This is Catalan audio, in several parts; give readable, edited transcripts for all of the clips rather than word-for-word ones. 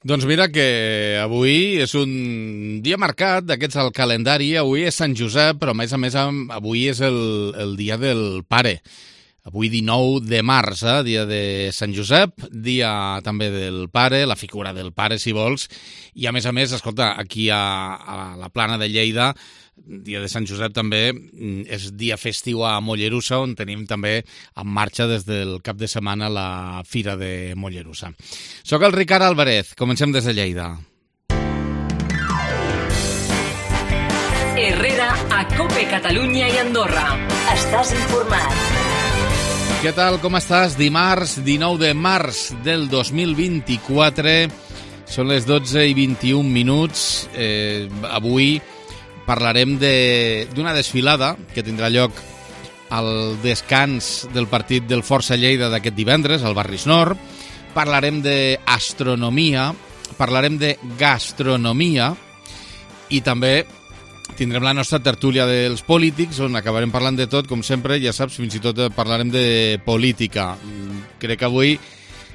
Doncs mira que avui és un dia marcat d'aquests al calendari. Avui és Sant Josep, però a més avui és el dia del pare. Avui 19 de març, dia de Sant Josep, dia també del pare, la figura del pare, si vols. I a més, escolta, aquí a la Plana de Lleida, dia de Sant Josep també és dia festiu a Mollerussa, on tenim també en marxa des del cap de setmana la Fira de Mollerussa. Soc el Ricard Álvarez, comencem des de Lleida. Herrera a COPE Catalunya i Andorra. Estàs informat. Què tal, com estàs? Dimarts 19 de març del 2024, són les 12:21. Avui parlarem d'una desfilada que tindrà lloc al descans del partit del Força Lleida d'aquest divendres, al Barris Nord. Parlarem d'astronomia, parlarem de gastronomia i també tindrem la nostra tertúlia dels polítics, on acabarem parlant de tot, com sempre, ja saps, fins i tot parlarem de política. Crec que avui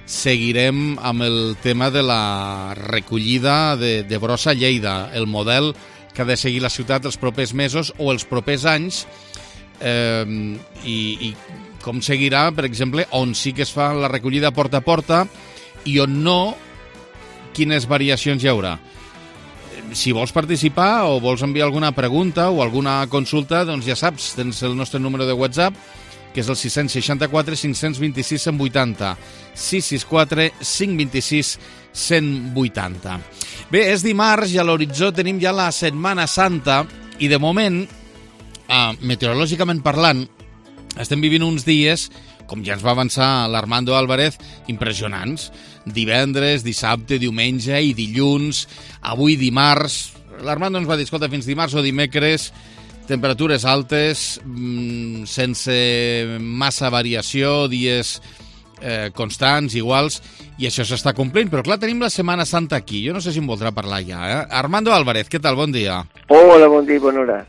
seguirem amb el tema de la recollida de brossa a Lleida, el model que ha de seguir la ciutat els propers mesos o els propers anys, i com seguirà, per exemple, on sí que es fa la recollida porta a porta i on no, quines variacions hi haurà. Si vols participar o vols enviar alguna pregunta o alguna consulta, doncs ja saps, tens el nostre número de WhatsApp, que és el 664 526 180, 664 526 180. Bé, és dimarts i a l'horitzó tenim ja la Setmana Santa i de moment, meteorològicament parlant, estem vivint uns dies, com ja ens va avançar l'Armando Álvarez, impressionants. Divendres, dissabte, diumenge i dilluns, avui dimarts. L'Armando ens va dir, escolta, fins dimarts o dimecres, temperatures altes, sense massa variació, dies constants, iguals, i això s'està complint. Però clar, tenim la Setmana Santa aquí. Jo no sé si em voldrà parlar ja. Armando Álvarez, què tal? Bon dia. Hola, bon dia, bona hora.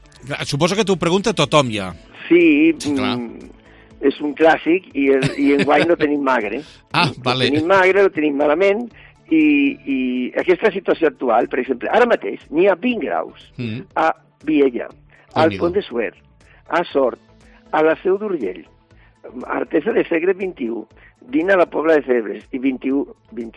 Suposo que t'ho pregunta tothom ja. Sí, és un clàssic i enguany no tenim magre. Vale. Tenim magre, ho tenim malament, i aquesta situació actual, per exemple, ara mateix n'hi ha 20 graus a Viella, al Pont de Suert, a Sort, a la Seu d'Urgell, a Artesa de Segre 21, 20 a la Pobla de Febres i 21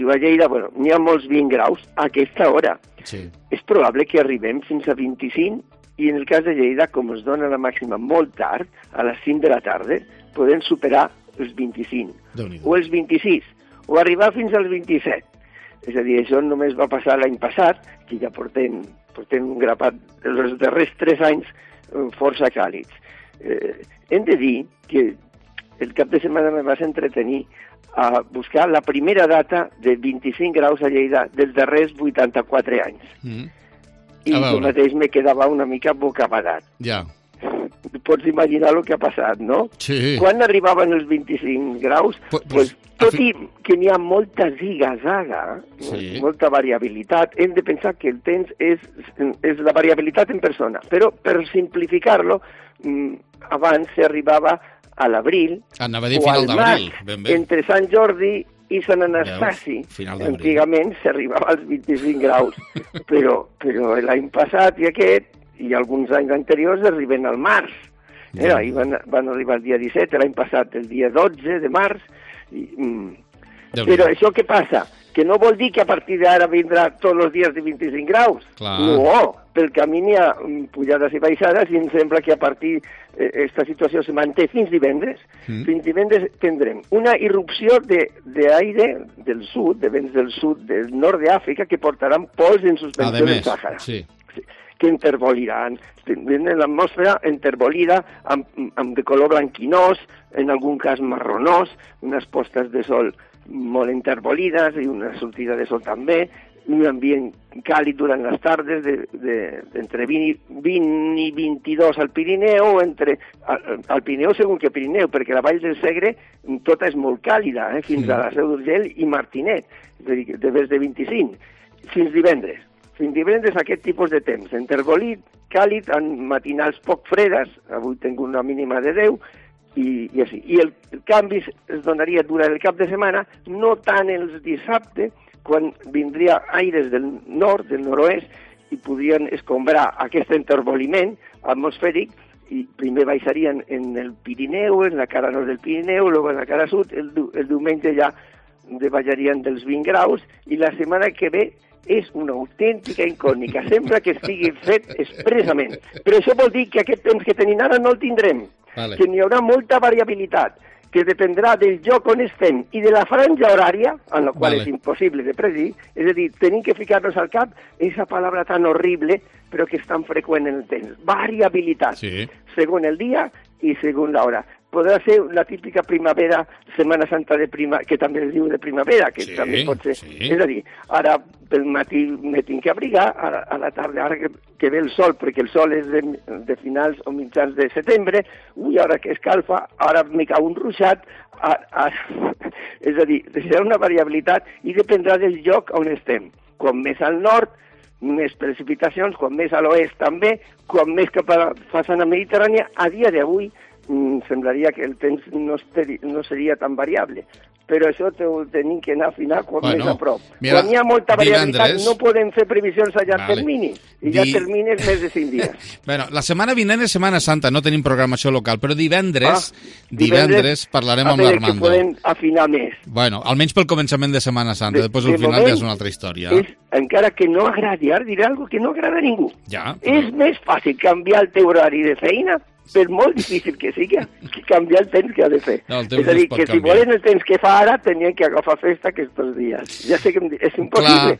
a Lleida. Bueno, n'hi ha molts 20 graus a aquesta hora. Sí. És probable que arribem fins a 25 i en el cas de Lleida, com es dona la màxima molt tard, a les 5 de la tarda, podem superar els 25, o els 26, o arribar fins als 27. És a dir, això només va passar l'any passat, que ja portem un grapat els darrers 3 anys força càlids. Hem de dir que el cap de setmana me vas entretenir a buscar la primera data de 25 graus a Lleida dels darrers 84 anys. I jo mateix me quedava una mica bocabadat. Ja. Pots imaginar el que ha passat, no? Sí. Quan arribaven els 25 graus, tot i que n'hi ha molta ziga-zaga, molta variabilitat, hem de pensar que el temps és la variabilitat en persona. Però, per simplificar-lo, abans s'arribava a l'abril o al maig, entre Sant Jordi i Sant Anastasi. Antigament s'arribava als 25 graus, però l'any passat i aquest, i alguns anys anteriors arriben al març. Ahir van arribar el dia 17, l'any passat el dia 12 de març. Però això què passa? Que no vol dir que a partir d'ara vindrà tots els dies de 25 graus. No, pel camí n'hi ha pujades i baixades i em sembla que a partir aquesta situació se manté fins divendres. Fins divendres tindrem una irrupció d'aire del sud, de vents del sud, del nord d'Àfrica, que portaran pols en suspensió del Sàhara. Que intervoliran, tenen l'atmosfera intervolida amb de color blanquinós, en algun cas marronós, unes postes de sol molt intervolides i una sortida de sol també, un ambient càlid durant les tardes d'entre 20 i 22 al Pirineu, al Pirineu segons que Pirineu, perquè la Vall del Segre tota és molt càlida, fins a la Seu d'Urgell i Martinet, de més de 25, fins divendres. Fins divendres aquest tipus de temps, intervolit, càlid, en matinals poc fredes, avui tinc una mínima de 10, i així. I el canvi es donaria durant el cap de setmana, no tant els dissabte quan vindria aires del nord, del nord-oest, i podrien escombrar aquest enterboliment atmosfèric, i primer baixarien en el Pirineu, en la cara nord del Pirineu, luego en la cara sud, el diumenge ja baixarien dels 20 graus, i la setmana que ve és una autèntica incògnita, sembla que estigui fet expressament. Però això vol dir que aquest temps que tenim ara no el tindrem, que n'hi haurà molta variabilitat, que dependrà del lloc on estem i de la franja horària, en la qual és impossible de predir, és a dir, tenim que ficar-nos al cap aquesta paraula tan horrible, però que és tan freqüent en el temps. Variabilitat, segons el dia i segons l'hora. Podrà ser la típica primavera, Setmana Santa que també es diu de primavera, que també pot ser. És a dir, ara pel matí me tinc que abrigar, a la tarda, ara que ve el sol, perquè el sol és de finals o mitjans de setembre, ara que escalfa, ara me cau un ruixat, és a dir, serà una variabilitat i dependrà del lloc on estem. Quan més al nord, més precipitacions, quan més a l'oest també, quan més cap a la façana mediterrània, a dia d'avui semblaria que el temps no seria tan variable. Però això ho tenim que anar a afinar quan més a prop. Mira, quan hi ha molta variabilitat no podem fer previsions a llarg termini. I llarg termini és més de 5 dies. Bueno, la setmana vinent és Setmana Santa, no tenim programació local, però divendres parlarem amb l'Armando. Que podem afinar més. Bueno, almenys pel començament de Setmana Santa, després al final ja és una altra història. Encara que no agradi, ara diré alguna que no agrada a ningú. Ja, és més fàcil canviar el teu horari de feina, per molt difícil que sigui, que canviar el temps que ha de fer. És a dir, que si volen el temps que fa ara, tenien que agafar festa aquests dies. Ja sé que és impossible.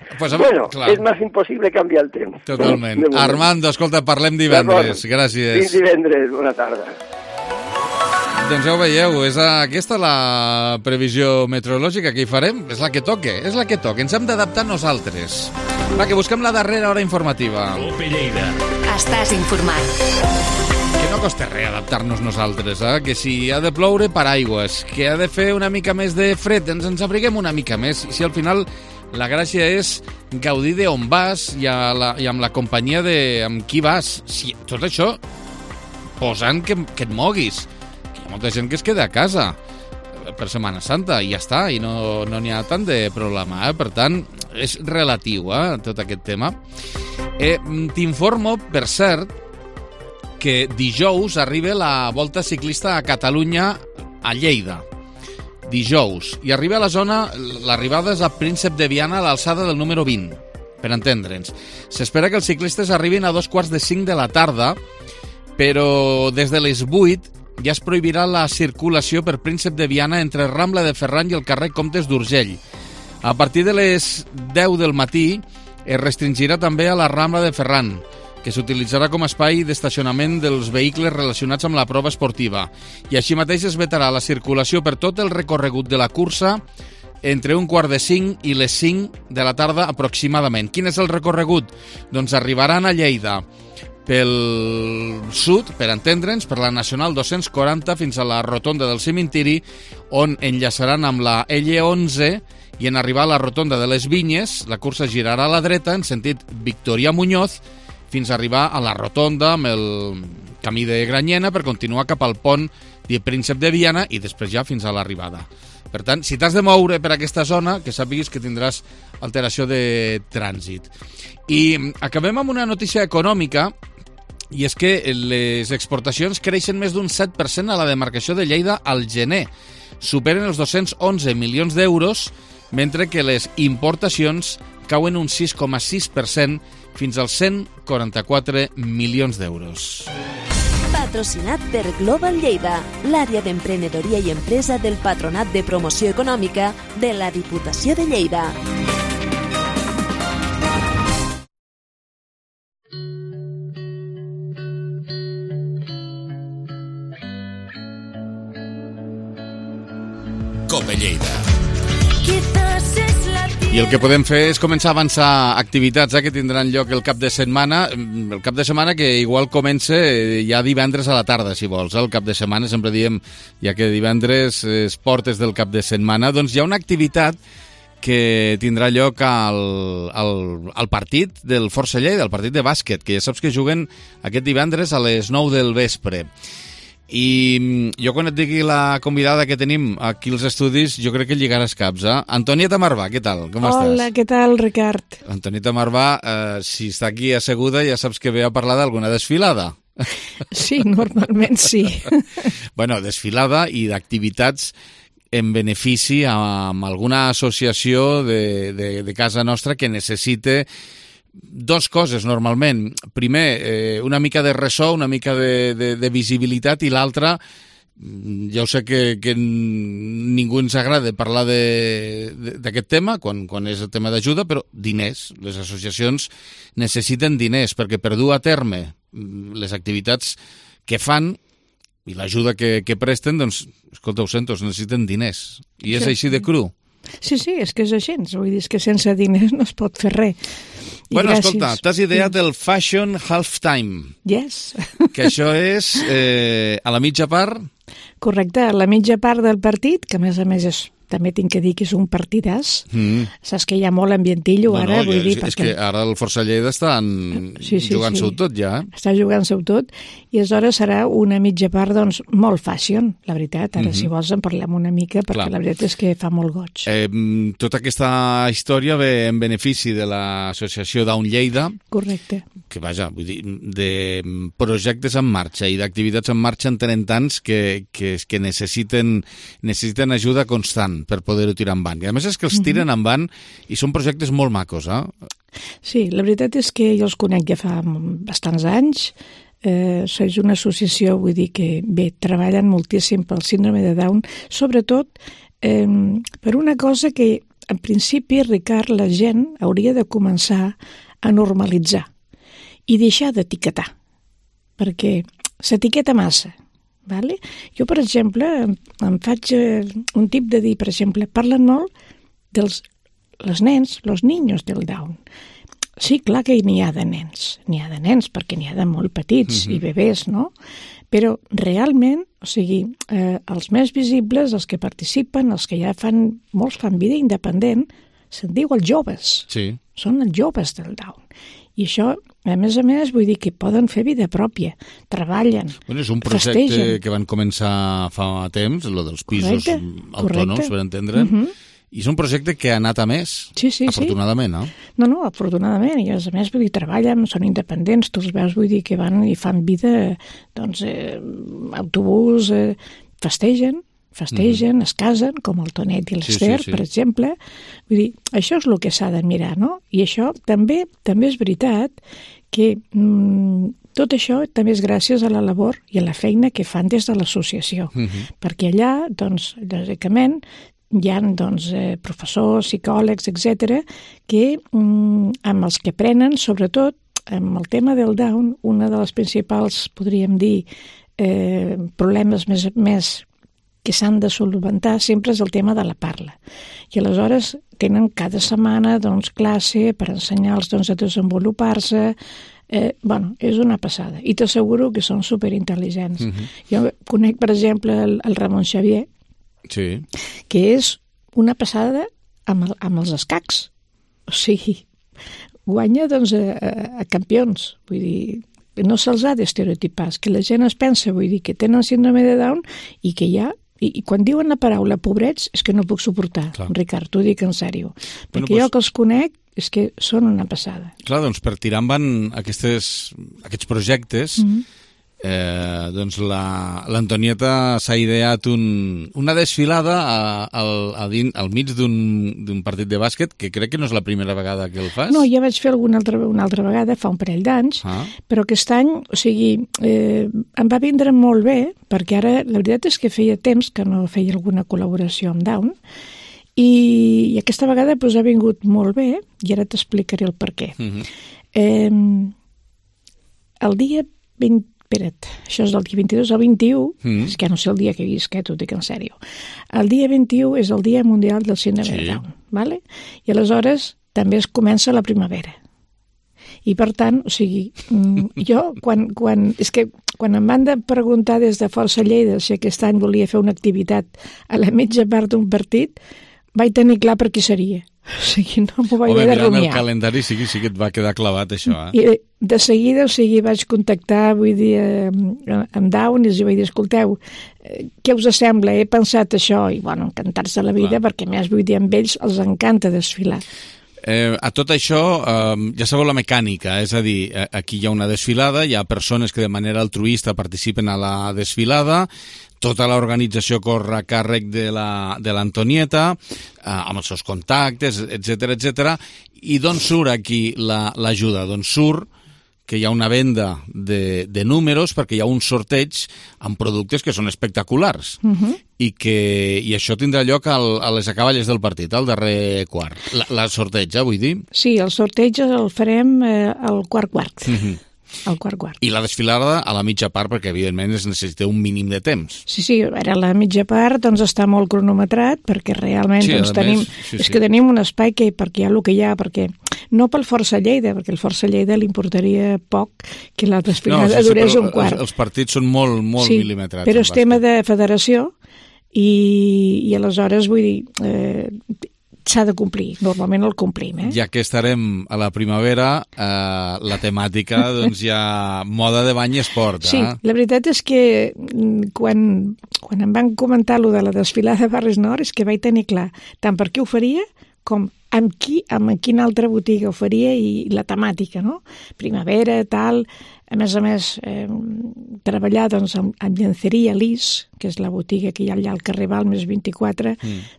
És més impossible canviar el temps. Totalment. Armando, escolta, parlem divendres. Gràcies. Fins divendres. Bona tarda. Doncs ja ho veieu, és aquesta la previsió meteorològica que hi farem. És la que toque, Ens hem d'adaptar nosaltres. Va, que busquem la darrera hora informativa. Cope Lleida. Estàs informat. Que no costa res adaptar-nos nosaltres, que si ha de ploure, paraigües, que ha de fer una mica més de fred, ens abriguem una mica més, i si al final la gràcia és gaudir d'on vas i amb la companyia amb qui vas. Si tot això posant que et moguis, que hi ha molta gent que es queda a casa per Setmana Santa i ja està, i no n'hi ha tant de problema, per tant és relatiu tot aquest tema. T'informo, per cert, que dijous arriba la Volta Ciclista a Catalunya a Lleida. Dijous. I arriba a la zona, l'arribada és a Príncep de Viana a l'alçada del número 20, per entendre'ns. S'espera que els ciclistes arribin a 4:45 de la tarda, però des de les 8 ja es prohibirà la circulació per Príncep de Viana entre Rambla de Ferran i el carrer Comtes d'Urgell. A partir de les 10 del matí es restringirà també a la Rambla de Ferran, que s'utilitzarà com a espai d'estacionament dels vehicles relacionats amb la prova esportiva. I així mateix es vetarà la circulació per tot el recorregut de la cursa entre 4:45 i les 5 de la tarda aproximadament. Quin és el recorregut? Doncs arribaran a Lleida pel sud, per entendre'ns, per la Nacional 240 fins a la rotonda del cementiri, on enllaçaran amb la L11, i en arribar a la rotonda de les Vinyes, la cursa girarà a la dreta en sentit Victoria Muñoz, fins a arribar a la rotonda amb el camí de Granyena per continuar cap al pont de Príncep de Viana i després ja fins a l'arribada. Per tant, si t'has de moure per aquesta zona, que sàpiguis que tindràs alteració de trànsit. I acabem amb una notícia econòmica, i és que les exportacions creixen més d'un 7% a la demarcació de Lleida al gener. Superen els 211 milions d'euros, mentre que les importacions cauen un 6,6% fins als 144 milions d'euros. Patrocinat per Global Lleida, l'àrea d'emprenedoria i empresa del Patronat de Promoció Econòmica de la Diputació de Lleida. Cope Lleida. I el que podem fer és començar a avançar activitats que tindran lloc el cap de setmana. El cap de setmana que igual comença ja divendres a la tarda, si vols. El cap de setmana, sempre diem, ja que divendres és portes del cap de setmana, doncs hi ha una activitat que tindrà lloc al partit del Força Lleida, el partit de bàsquet, que ja saps que juguen aquest divendres a les 9 del vespre. I jo quan et digui la convidada que tenim aquí als estudis, jo crec que lligaràs caps, eh? Antonieta Marvà, què tal? Com estàs? Hola, què tal, Ricard? Antonieta Marvà, si està aquí asseguda, ja saps que ve a parlar d'alguna desfilada. Sí, normalment sí. Bueno, desfilada i d'activitats en benefici amb alguna associació de casa nostra que necessite dos coses, normalment. Primer, una mica de ressò, una mica de visibilitat, i l'altra, ja ho sé que ningú ens agrada parlar d'aquest tema, quan és el tema d'ajuda, però diners. Les associacions necessiten diners, perquè per dur a terme les activitats que fan i l'ajuda que presten, doncs, escolta, ho sento, necessiten diners. I és així de cru. Sí, és que és així. Vull dir, que sense diners no es pot fer res. Bueno, escolta, t'has ideat el Fashion Halftime. Yes. Que això és a la mitja part? Correcte, a la mitja part del partit, que a més també tinc que dir que és un partidàs. Saps que hi ha molt ambientillo ara, vull dir... És que ara el Força Lleida estan jugant-se-ho tot, ja. Està jugant-se-ho tot, i aleshores serà una mitja part, doncs, molt fashion, la veritat. Ara, si vols, en parlem una mica, perquè la veritat és que fa molt goig. Tota aquesta història ve en benefici de l'associació Down Lleida. Correcte. Que, vaja, vull dir, de projectes en marxa i d'activitats en marxa en tenen tants que necessiten ajuda constant per poder-ho tirar endavant. I a més és que els tiren endavant i són projectes molt macos, eh? Sí, la veritat és que jo els conec ja fa bastants anys. És una associació, vull dir que, bé, treballen moltíssim pel síndrome de Down, sobretot per una cosa que, en principi, Ricard, la gent hauria de començar a normalitzar i deixar d'etiquetar, perquè s'etiqueta massa. Vale? Jo, per exemple, em faig un tip de dir, per exemple, parlen molt dels nens, los niños del Down. Sí, clar que n'hi ha de nens, perquè n'hi ha de molt petits i bebès, no? Però realment, o sigui, els més visibles, els que participen, els que ja molts fan vida independent, se'n diu els joves. Sí. Són els joves del Down. I això, a més, vull dir que poden fer vida pròpia, treballen, bueno, és un projecte festegen. Que van començar fa temps, el dels pisos autònoms, per entendre'n, i és un projecte que ha anat a més, afortunadament, no? No, afortunadament, i a més, vull dir, treballen, són independents, tu els veus, vull dir, que van i fan vida, doncs, autobús, festegen, es casen, com el Tonet i l'Ester, per exemple. Vull dir, això és el que s'ha de mirar, no? I això també és veritat que tot això també és gràcies a la labor i a la feina que fan des de l'associació. Perquè allà, doncs, lògicament, hi ha doncs, professors, psicòlegs, etc., que amb els que aprenen, sobretot amb el tema del Down, una de les principals, podríem dir, problemes més que s'han de solventar sempre és el tema de la parla. I aleshores tenen cada setmana doncs, classe per ensenyar-los doncs, a desenvolupar-se. És una passada. I t'asseguro que són superintel·ligents. Jo conec, per exemple, el Ramon Xavier, que és una passada amb els escacs. O sigui, guanya doncs, a campions. Vull dir, no se'ls ha d'estereotipar, que la gent es pensa, vull dir, que tenen síndrome de Down i que hi ha. I quan diuen la paraula pobrets és que no puc suportar, Ricard, t'ho dic en sèrio. Perquè jo que els conec és que són una passada. Clar, doncs per tirar endavant aquests projectes, doncs l'Antonieta s'ha ideat una desfilada al mig d'un partit de bàsquet, que crec que no és la primera vegada que el fas. No, ja vaig fer una altra vegada, fa un parell d'anys, però aquest any, o sigui, em va vindre molt bé, perquè ara la veritat és que feia temps que no feia alguna col·laboració amb Down, i aquesta vegada doncs, ha vingut molt bé, i ara t'explicaré el per què. El dia 20... Espera't, això és del dia 22 al 21, és que no sé el dia que visc, t'ho dic en sèrio. El dia 21 és el Dia Mundial del Síndrome de Down, ¿vale? I aleshores també es comença la primavera. I per tant, o sigui, jo quan em van de preguntar des de Força Lleida si aquest any volia fer una activitat a la mitja part d'un partit, vaig tenir clar per qui seria. O sigui, no m'ho vaig haver de mirant rumiar. el calendari sí que et va quedar clavat, això, I de seguida, o sigui, vaig contactar, vull dir, amb Down, i els vaig dir, escolteu, què us sembla? He pensat això, i, bueno, encantats de la vida, perquè, a més, vull dir, amb ells els encanta desfilar. A tot això, ja sabeu la mecànica, és a dir, aquí hi ha una desfilada, hi ha persones que de manera altruista participen a la desfilada, tota l'organització corre a càrrec de l'Antonieta, amb els seus contactes, etc. I d'on surt aquí l'ajuda? D'on surt que hi ha una venda de números perquè hi ha un sorteig amb productes que són espectaculars i això tindrà lloc a les acaballes del partit, al darrer quart. La sorteig, vull dir? Sí, el sorteig el farem al quart. Al quart. I la desfilada a la mitja part, perquè evidentment es necessita un mínim de temps. Sí, a veure, la mitja part doncs està molt cronometrat, perquè realment tenim un espai perquè hi ha el que hi ha, perquè no pel Força Lleida, perquè el Força Lleida li importaria poc que la desfilada durés un quart. Els partits són molt mil·limetrats. Però és tema de federació i aleshores, vull dir, s'ha de complir, normalment el complim. Ja que estarem a la primavera, la temàtica, doncs ja moda de bany i esport. Sí, la veritat és que quan em van comentar lo de la desfilada de Barris Nord és que vaig tenir clar tant per què ho faria com amb quina altra botiga ho faria i la temàtica, no? Primavera, tal. A més, treballar doncs, amb llenceria Lis, que és la botiga que hi ha allà al carrer Balmes 24,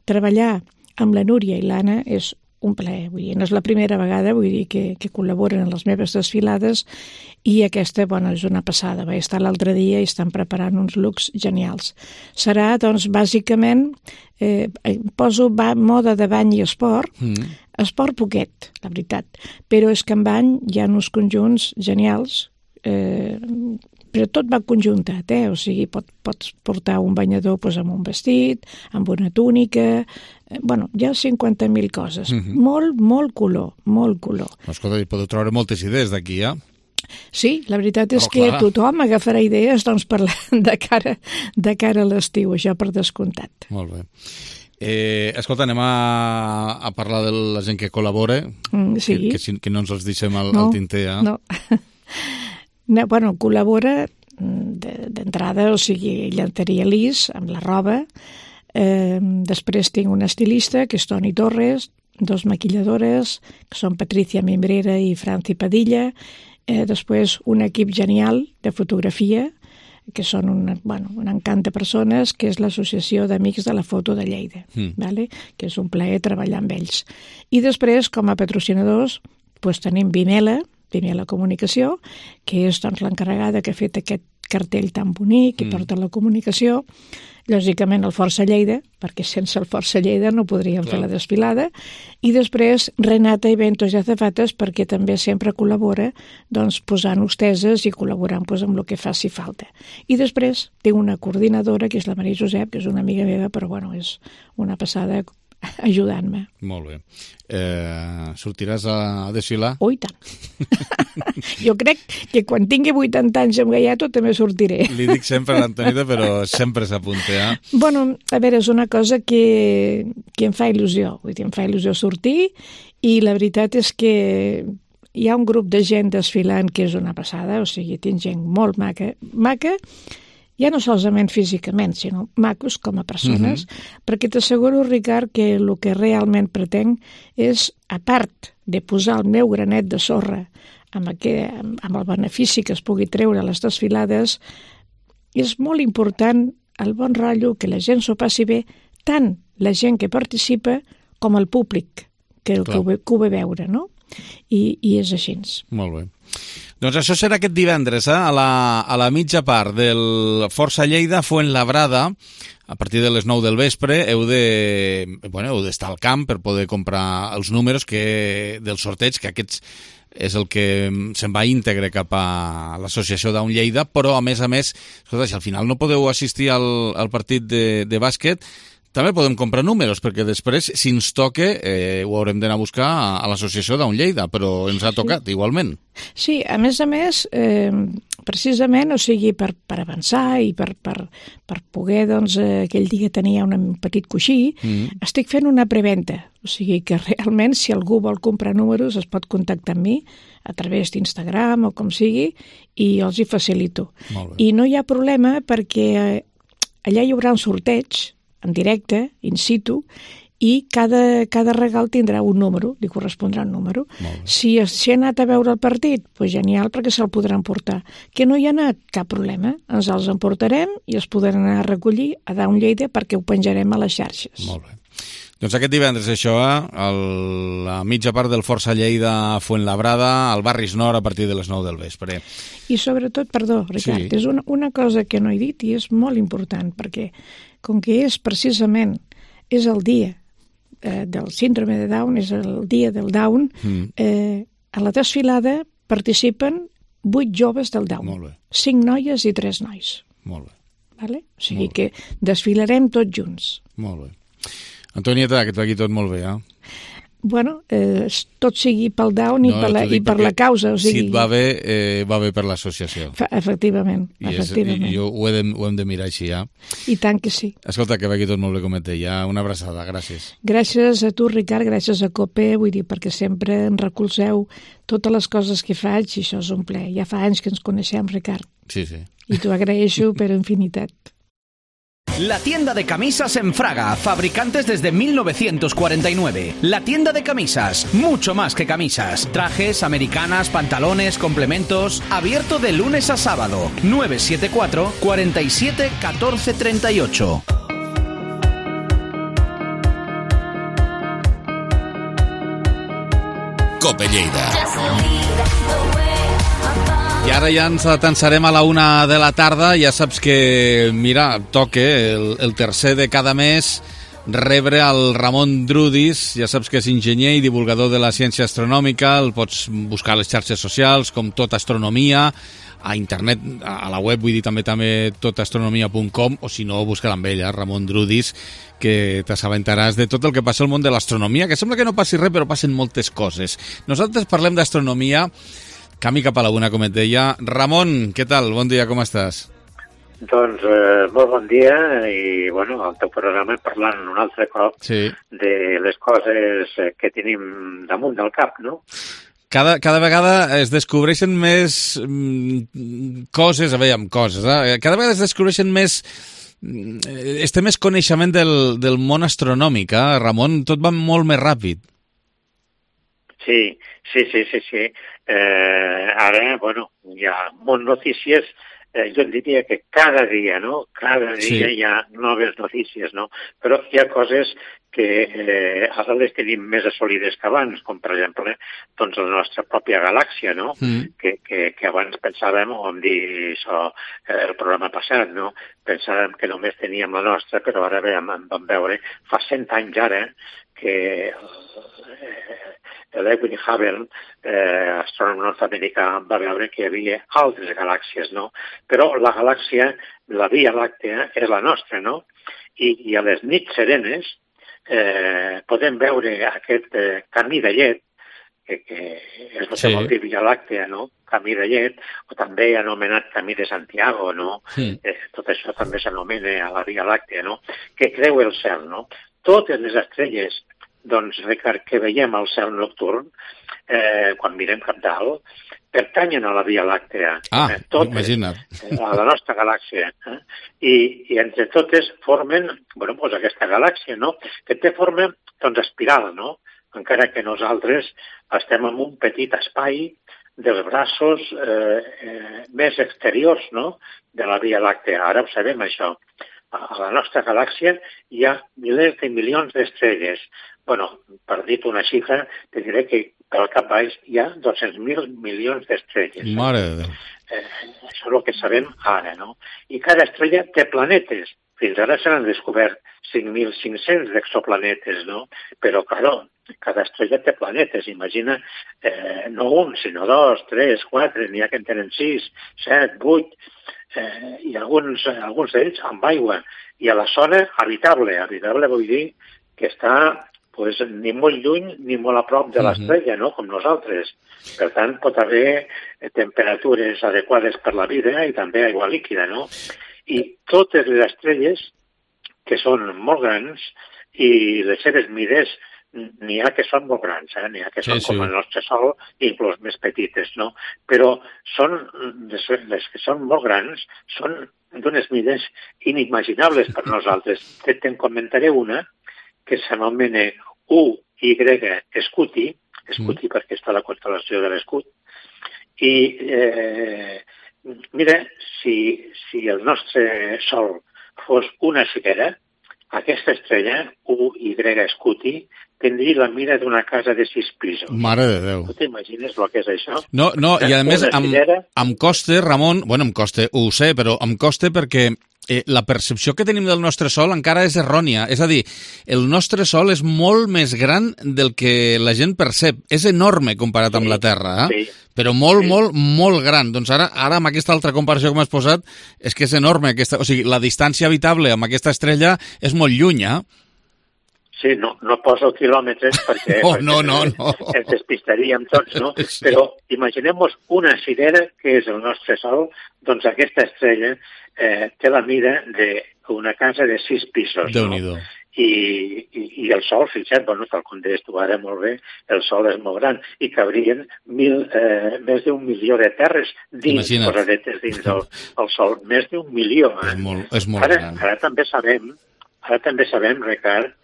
treballar amb la Núria i l'Anna és un plaer, vull dir, no és la primera vegada, vull dir, que col·laboren en les meves desfilades i aquesta, bueno, és una passada. Vaig estar l'altre dia i estan preparant uns looks genials. Serà, doncs, bàsicament, poso moda de bany i esport, esport poquet, la veritat, però és que en bany hi ha uns conjunts genials, però tot va conjuntat, o sigui, pots portar un banyador amb un vestit, amb una túnica, bueno, hi ha 50.000 coses. Molt color, molt color. Escolta, hi podeu treure moltes idees d'aquí, Sí, la veritat és que tothom agafarà idees doncs, de cara a l'estiu, això per descomptat. Molt bé. Escolta, anem a parlar de la gent que col·labora, que no ens els deixem al tinter. No. Bueno, col·labora d'entrada, o sigui, llenteria Lis, amb la roba. Després tinc una estilista, que és Toni Torres, dos maquilladores, que són Patricia Mimbrera i Franci Padilla. Després un equip genial de fotografia, que són un encant de persones, que és l'Associació d'Amics de la Foto de Lleida, que és un plaer treballar amb ells. I després, com a patrocinadors, tenim Vimela Comunicació, que és l'encarregada que ha fet aquest cartell tan bonic i porta la comunicació. Lògicament el Força Lleida, perquè sense el Força Lleida no podríem fer la desfilada. I després Renata Eventos i Azafates, perquè també sempre col·labora posant hosteses i col·laborant amb el que faci falta. I després tinc una coordinadora, que és la Maria Josep, que és una amiga meva, però és una passada ajudant-me. Molt bé. Sortiràs a desfilar? Oh, i tant. Jo crec que quan tingui 80 anys amb Gaiato també sortiré. Li dic sempre a l'Antonita, però sempre s'apunta. Bueno, a veure, és una cosa que em fa il·lusió. Vull dir, em fa il·lusió sortir i la veritat és que hi ha un grup de gent desfilant que és una passada, o sigui, tinc gent molt maca, ja no solament físicament, sinó macos com a persones, perquè t'asseguro, Ricard, que el que realment pretenc és, a part de posar el meu granet de sorra amb el benefici que es pugui treure a les desfilades, és molt important el bon rotllo, que la gent s'ho passi bé, tant la gent que participa com el públic que ho ve veure, no? I és així. Molt bé. Doncs això serà aquest divendres, a la mitja part del Força Lleida, Fuenlabrada, a partir de les 9 del vespre. Heu d'estar al camp per poder comprar els números del sorteig, que aquests és el que se'n va íntegre cap a l'associació Down Lleida, però a més, escolta, si al final no podeu assistir al partit de bàsquet, també podem comprar números, perquè després, si ens toca, ho haurem d'anar a buscar a l'associació Down Lleida, però ens ha tocat igualment. Sí, a més, precisament, o sigui, per avançar i per poder, doncs, aquell dia tenia un petit coixí, estic fent una preventa. O sigui que realment, si algú vol comprar números, es pot contactar amb mi a través d'Instagram o com sigui, i jo els hi facilito. I no hi ha problema perquè allà hi haurà un sorteig en directe, in situ, i cada regal tindrà un número, li correspondrà un número. Si ha anat a veure el partit, doncs genial, perquè se'l podran portar. Que no hi ha anat, cap problema. Ens els emportarem i els podran anar a recollir a Down Lleida perquè ho penjarem a les xarxes. Molt bé. Doncs aquest divendres, això, la mitja part del Força Lleida a Fuenlabrada, al Barris Nord, a partir de les 9 del vespre. I sobretot, perdó, Ricard, és una cosa que no he dit i és molt important, perquè com que és precisament el dia del síndrome de Down, és el dia del Down, a la desfilada participen 8 joves del Down, 5 noies i 3 nois. Molt bé. Vale? O sigui que desfilarem tots junts. Molt bé. Antonieta, que et vagi tot molt bé, Bueno, tot sigui pel Down i per la causa. O sigui... Si et va bé per l'associació. Efectivament. I ho hem de mirar així, ja. I tant que sí. Escolta, que vagi tot molt bé, com et deia. Una abraçada, gràcies. Gràcies a tu, Ricard, gràcies a COPE, vull dir, perquè sempre em recolzeu totes les coses que faig i això és un plaer. Ja fa anys que ens coneixem, Ricard. Sí, sí. I t'ho agraeixo per infinitat. La tienda de camisas en Fraga, fabricantes desde 1949. La tienda de camisas, mucho más que camisas. Trajes, americanas, pantalones, complementos. Abierto de lunes a sábado. 974 47 14 38. COPE Lleida. I ara ja ens atansarem a la 1 de la tarda. Ja saps que, mira, toca el tercer de cada mes rebre el Ramon Drudis. Ja saps que és enginyer i divulgador de la ciència astronòmica. El pots buscar a les xarxes socials com Tot Astronomia, a internet, a la web, vull dir també totastronomia.com, o si no, busca amb ella, Ramon Drudis, que t'assabentaràs de tot el que passa al món de l'astronomia, que sembla que no passi res, però passen moltes coses. Nosaltres parlem d'astronomia, camí cap a la 1, com et deia. Ramon, què tal? Bon dia, com estàs? Doncs molt bon dia i, bueno, el teu programa parlant un altre cop de les coses que tenim damunt del cap, no? Cada vegada es descobreixen més coses, cada vegada es descobreixen més... té més coneixement del món astronòmic, Ramon, tot va molt més ràpid. Sí. Ara, bueno, hi ha moltes notícies, jo diria que cada dia, no? Cada dia hi ha noves notícies, no? Però hi ha coses que ara les tenim més assolides que abans, com per exemple doncs la nostra pròpia galàxia, no? Que abans pensàvem, o vam dir això el programa passat, no? Pensàvem que només teníem la nostra, però ara vam veure, fa 100 anys ara, que l'Edwin Hubble, astrònom nord-americà, va veure que hi havia altres galàxies, no? Però la galàxia, la Via Làctea, és la nostra, no? I a les nits serenes podem veure aquest camí de llet, que és el que vol dir Via Làctea, no? Camí de llet, o també anomenat Camí de Santiago, no? Tot això també s'anomena a la Via Làctea, no? Que creua el cel, no? Totes les estrelles, doncs, Ricard, que veiem al cel nocturn, quan mirem cap dalt, pertanyen a la Via Làctea. Imagina't. A la nostra galàxia. I entre totes formen, bueno, doncs aquesta galàxia, no? Que té forma, doncs, espiral, no? Encara que nosaltres estem en un petit espai dels braços més exteriors, no?, de la Via Làctea. Ara ho sabem, això. A la nostra galàxia hi ha milers de milions d'estrelles. Bueno, per dir una xifra, te diré que pel cap baix hi ha 200.000 milions d'estrelles. Mare de Déu. Això és el que sabem ara, no? I cada estrella té planetes. Fins ara se n'han descobert 5.500 exoplanetes, no? Però, clar, cada estrella té planetes. Imagina, no un, sinó 2, 3, 4, n'hi ha que en tenen 6, 7, 8... i alguns d'ells amb aigua, i a la zona habitable. Habitable vull dir que està pues, ni molt lluny ni molt a prop de l'estrella, no? Com nosaltres. Per tant, pot haver temperatures adequades per la vida i també aigua líquida, no? I totes les estrelles, que són molt grans, i les seves mides, n'hi ha que són molt grans, n'hi ha que són com el nostre Sol, inclús més petites, no? Però les que són molt grans són d'unes mides inimaginables per nosaltres. Te'n comentaré una que s'anomena UY Scuti, Scuti perquè està a la constel·lació de l'Escut, i mira, si el nostre Sol fos una cirera, aquesta estrella, UY Scuti, tindria la mida d'una casa de 6 pisos. Mare de Déu. Tu t'imagines el que és això? No, i a més em costa, Ramon, bueno, em costa, ho sé, però em costa perquè la percepció que tenim del nostre Sol encara és errònia. És a dir, el nostre Sol és molt més gran del que la gent percep. És enorme comparat amb la Terra, però molt gran. Doncs ara amb aquesta altra comparació que m'has posat, és que és enorme. O sigui, la distància habitable amb aquesta estrella és molt lluny, Sí, no poso quilòmetres perquè ens despistaríem tots, no? Però imaginem-nos una cirera que és el nostre Sol, doncs aquesta estrella té la mida d'una casa de 6 pisos. Déu-n'hi-do. I el Sol, fixa't, tal com deies tu ara molt bé, el Sol és molt gran i cabrien més d'1 milió de terres posadetes dins del Sol. Més d'1 milió. És molt gran. Ara també sabem, Ricard,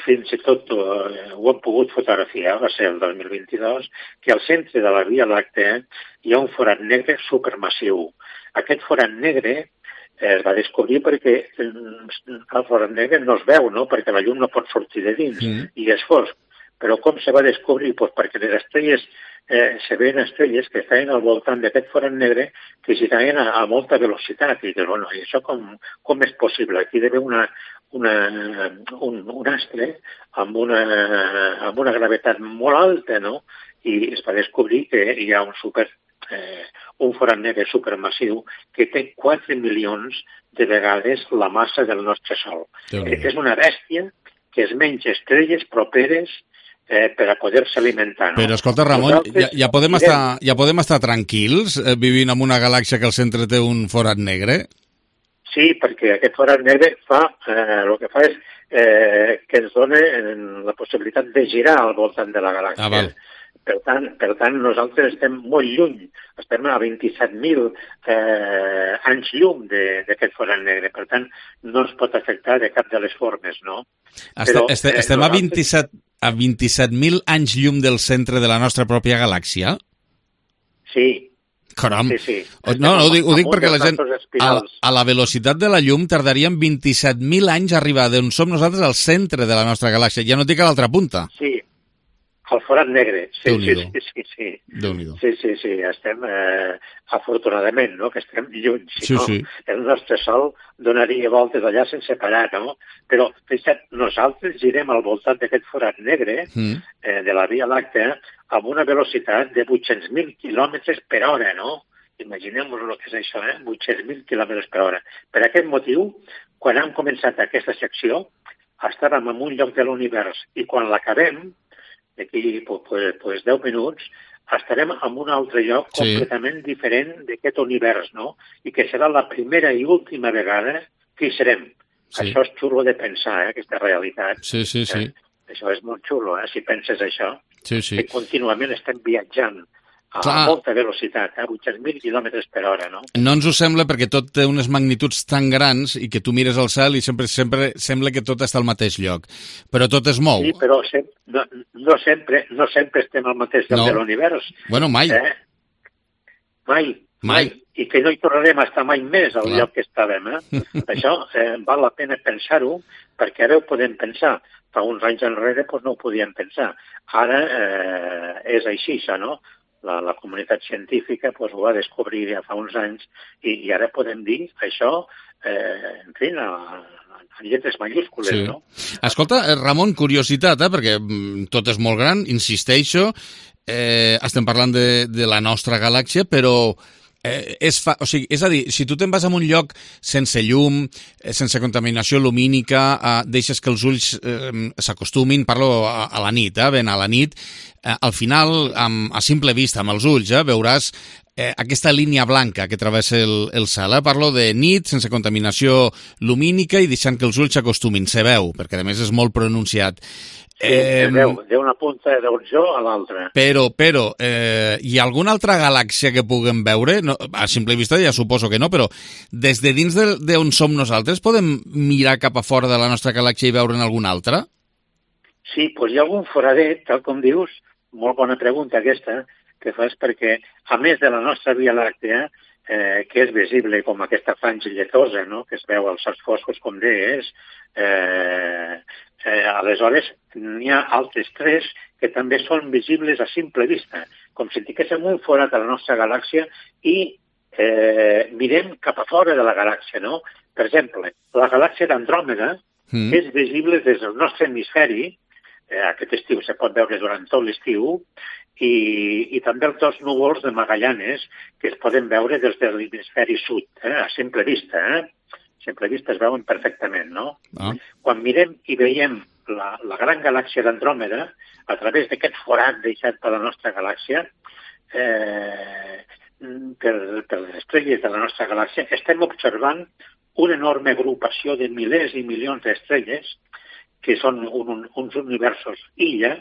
fins i tot ho hem pogut fotografiar, va ser el 2022, que al centre de la Via Làctea hi ha un forat negre supermassiu. Aquest forat negre es va descobrir perquè el forat negre no es veu, no? Perquè la llum no pot sortir de dins i és fosc. Però com se va descobrir? Pues perquè les estrelles, se veien estrelles que estaven al voltant d'aquest forat negre que giraven a molta velocitat. I dius, bueno, i això com és possible? Aquí hi ha d'haver un astre amb una gravetat molt alta, no? I es va descobrir que hi ha un forat negre supermassiu que té 4 milions de vegades la massa del nostre Sol. És una bèstia que es menja estrelles properes per a poder-se alimentar. No? Però escolta, Ramon, ja podem estar tranquils vivint en una galàxia que al centre té un forat negre? Sí, perquè aquest forat negre el que fa és que ens dona la possibilitat de girar al voltant de la galàxia. Per tant, nosaltres estem molt lluny, estem a 27.000 anys llum d'aquest forat negre. Per tant, no ens pot afectar de cap de les formes, no? Estem a 27.000 anys llum del centre de la nostra pròpia galàxia? Sí. Caram. Sí. No, ho dic perquè la gent, a la velocitat de la llum, tardaríem 27.000 anys a arribar d'on som nosaltres al centre de la nostra galàxia. Ja no dic a l'altra punta. Sí, al forat negre. Sí. Déu-n'hi-do. Sí, estem, afortunadament, no?, que estem lluny. Si no, el nostre Sol donaria voltes allà sense parar, no? Però, fixa't, nosaltres girem al voltant d'aquest forat negre de la Via Làctea amb una velocitat de 800.000 quilòmetres per hora, no? Imaginem-nos el que és això, 800.000 quilòmetres per hora. Per aquest motiu, quan hem començat aquesta secció, estàvem en un lloc de l'univers i quan l'acabem, d'aquí 10 minuts, estarem en un altre lloc completament diferent d'aquest univers, no? I que serà la primera i última vegada que hi serem. Això és xulo de pensar, aquesta realitat. Sí. Això és molt xulo, si penses això. Sí. Que contínuament estem viatjant a molta velocitat, 800.000 quilòmetres per hora, no? No ens ho sembla perquè tot té unes magnituds tan grans i que tu mires al cel i sempre sembla que tot està al mateix lloc. Però tot es mou. Sí, però no sempre estem al mateix lloc de l'univers. Bueno, mai. Mai. I que no hi tornarem a estar mai més al lloc que estàvem. Això val la pena pensar-ho, perquè ara ho podem pensar. Fa uns anys enrere no ho podíem pensar. Ara és així, això, no? La comunitat científica ho va descobrir ja fa uns anys i ara podem dir això, en fi, en lletres majúscules, no? Escolta, Ramon, curiositat, perquè tot és molt gran, insisteixo, estem parlant de la nostra galàxia, però O sigui, és a dir, si tu te'n vas a un lloc sense llum, sense contaminació lumínica, deixes que els ulls s'acostumin, parlo a la nit, ben a la nit, al final, a simple vista, amb els ulls, veuràs aquesta línia blanca que travessa el cel. Parlo de nit, sense contaminació lumínica i deixant que els ulls s'acostumin. Se veu, perquè a més és molt pronunciat. D'una punta d'horitzó a l'altra. Però, hi ha alguna altra galàxia que puguem veure? No, a simple vista ja suposo que no, però des de dins d'on som nosaltres podem mirar cap a fora de la nostra galàxia i veure'n alguna altra? Sí, doncs hi ha algun foradet, tal com dius, molt bona pregunta aquesta, que fas perquè, a més de la nostra Via Làctea, que és visible com aquesta franja lletosa, no?, que es veu als certs foscos, com deies, aleshores n'hi ha altres tres que també són visibles a simple vista, com si tinguéssim un forat a la nostra galàxia i mirem cap a fora de la galàxia, no? Per exemple, la galàxia d'Andròmeda és visible des del nostre hemisferi, aquest estiu se pot veure durant tot l'estiu, i també els dos núvols de Magallanes que es poden veure des de l'hemisferi sud, a simple vista. A simple vista es veuen perfectament, no? Quan mirem i veiem la gran galàxia d'Andròmeda, a través d'aquest forat deixat per la nostra galàxia, per les estrelles de la nostra galàxia, estem observant una enorme agrupació de milers i milions d'estrelles que són uns universos illa